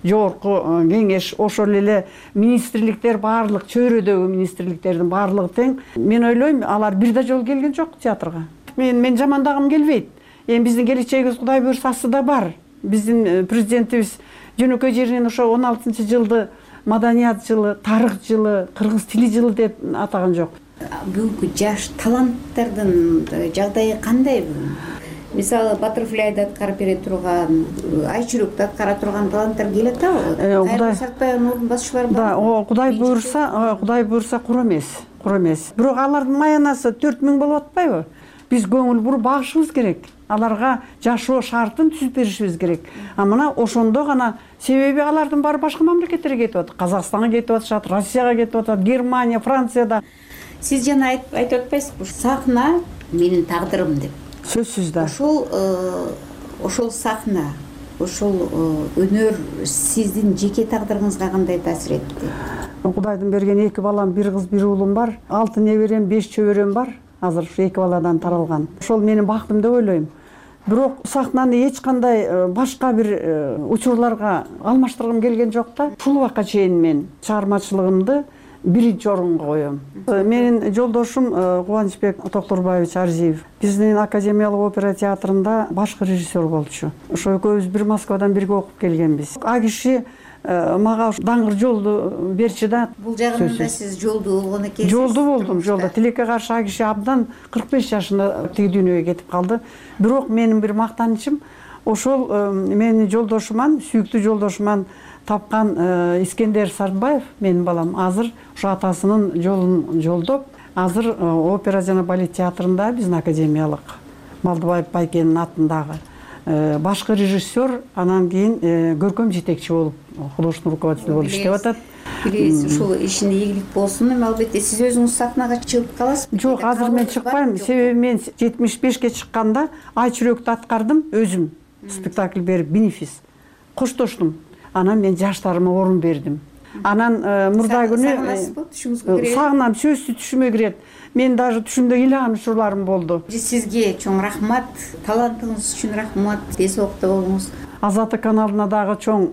жогорку кеңеш, ошол эле министрликтер, баардык чөйрөдөгү министрликтердин баардыгы тең. Мен ойлойм, алар бир да жолу келген жок театрга. Мен жамандагым келбейт. Эми биздин келечегибиз Кудай буйрса астыда бар. Биздин президентибиз жөнөкөй жеринен ошо 16-жылды маданият жылы, тарых жылы, кыргыз тили жылы деп атаган жок. Бүгүнкү жаш таланттардын жагдайы кандай? Мисалы Баттерфляйды аткарып бере турган, Ай чүрөктү аткара турган таланттар келе атабы? Кайрылуу Сартбаевдин ордун басчылары бар. Да, Кудай буйрса кур эмес. Бирок алардын маянасы 4000 болуп атпайбы? Биз көңүл буруп багышыбыз керек. Аларга жашоо шартын түзүп беришибиз керек. А мына ошондо гана, себеби алардын баары башка мамлекеттерге кетип атат. Казакстанга кетип атышат, Россияга кетип атат, Германия, Францияда. Сиз жана айтып атпайсызбы? Сахна менин тагдырым деп. Сөзсүз да. Ошол сахна, ошол өнөр сиздин жеке тагдырыңызга кандай таасир этти? Кудайдын берген 2 балам, 1 кыз, 1 уулум бар. 6 неберем, 5 чөбөрөм бар. Азыр ушу 2 баладан таралган. Ошол менин бактым деп ойлойм. Бирок сахнаны эч кандай башка бир учурларга алмаштыргым келген жок да. Ушул убакка чейин мен чыгармачылыгымды биринчи орунга коем. Менин жолдошум Кубанычбек Токторбаевич Арзиев биздин академиялык опера театрында башкы режиссер болчу. Ошо экөөбүз бир Москвадан бирге окуп келгенбиз. А киши мага даңгыр жолду берчи да. Бул жагынан да сиз жолдуу болгон экенсиз. Жолдуу болдум, жолдо. Тилекке каршы а киши абдан 45 жашында тиги дүйнөгө кетип калды. Бирок менин бир мактанычым ошол менин жолдошуман, сүйүктүү жолдошуман тапкан Искендер Сартбаев, менин балам, азыр ушу атасынын жолун жолдоп, азыр опера жана балет театрында биздин академиялык Малдыбаев Байкенин атындагы башкы режиссер, анан кийин көркөм жетекчи болуп, художественный руководитель болуп иштеп атат. Билесиз, ушул ишине ийгилик болсун. Эми албетте сиз өзүңүз сахнага чыгып каласызбы? Жок, азыр мен чыкпайм. Себеби мен 75ке чыкканда Ай чүрөктү аткардым өзүм. Спектакль берип, бенефис. Коштоштум. Анан мен жаштарыма орун бердим. Анан мурда күнү сагынасызбы? Түшүңүзгө кирет? Сагынам, сөзсүз түшүмө кирет. Мен даже түшүмдө ыйлаган учурларым болду. Сизге чоң рахмат, талантыңыз үчүн рахмат, тез окто болуңуз. Азаттык каналына дагы чоң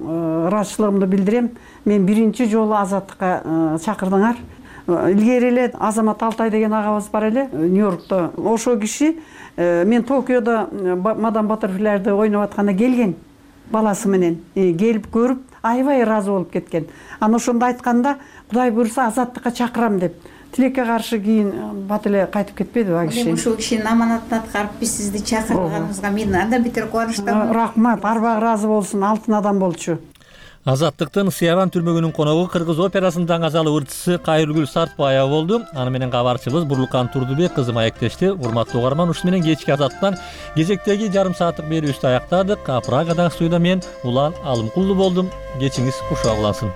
ыраазычылыгымды билдирем. Мен биринчи жолу Азаттыкка чакырдыңар. Илгери эле Азамат Алтай деген агабыз бар эле Нью-Йоркто. Ошол киши мен Токиодо Мадам Баттерфляйды ойноп атканда келген баласы менен келип көрүп аябай ыраазы болуп кеткен. Анан ошондо айтканда Кудай буйрса Азаттыкка чакырам деп. Тилекке каршы кийин бат эле кайтып кетпеди ал киши. Ошол кишинин аманатын аткарып биз сизди чакырганыбызга мен андан бетер кубанычтамын. Рахмат, арбагы ыраазы болсун, алтын адам болчу. Азаттыктын Сыябан түрмөгүнүн коногу Кыргыз операсынын даңазалы ырчысы Кайыргүл Сартбаева болду. Аны менен кабарчыбыз Бурлукан Турдубек кызы маектешти. Урматтуу угарман, ушуну менен кечки Азаттыктан кезектеги жарым сааттык берүүбүздү аяктадык. Прагадагы студияда мен Улан Алымкулду болдум. Кечиңиз кушак улансын.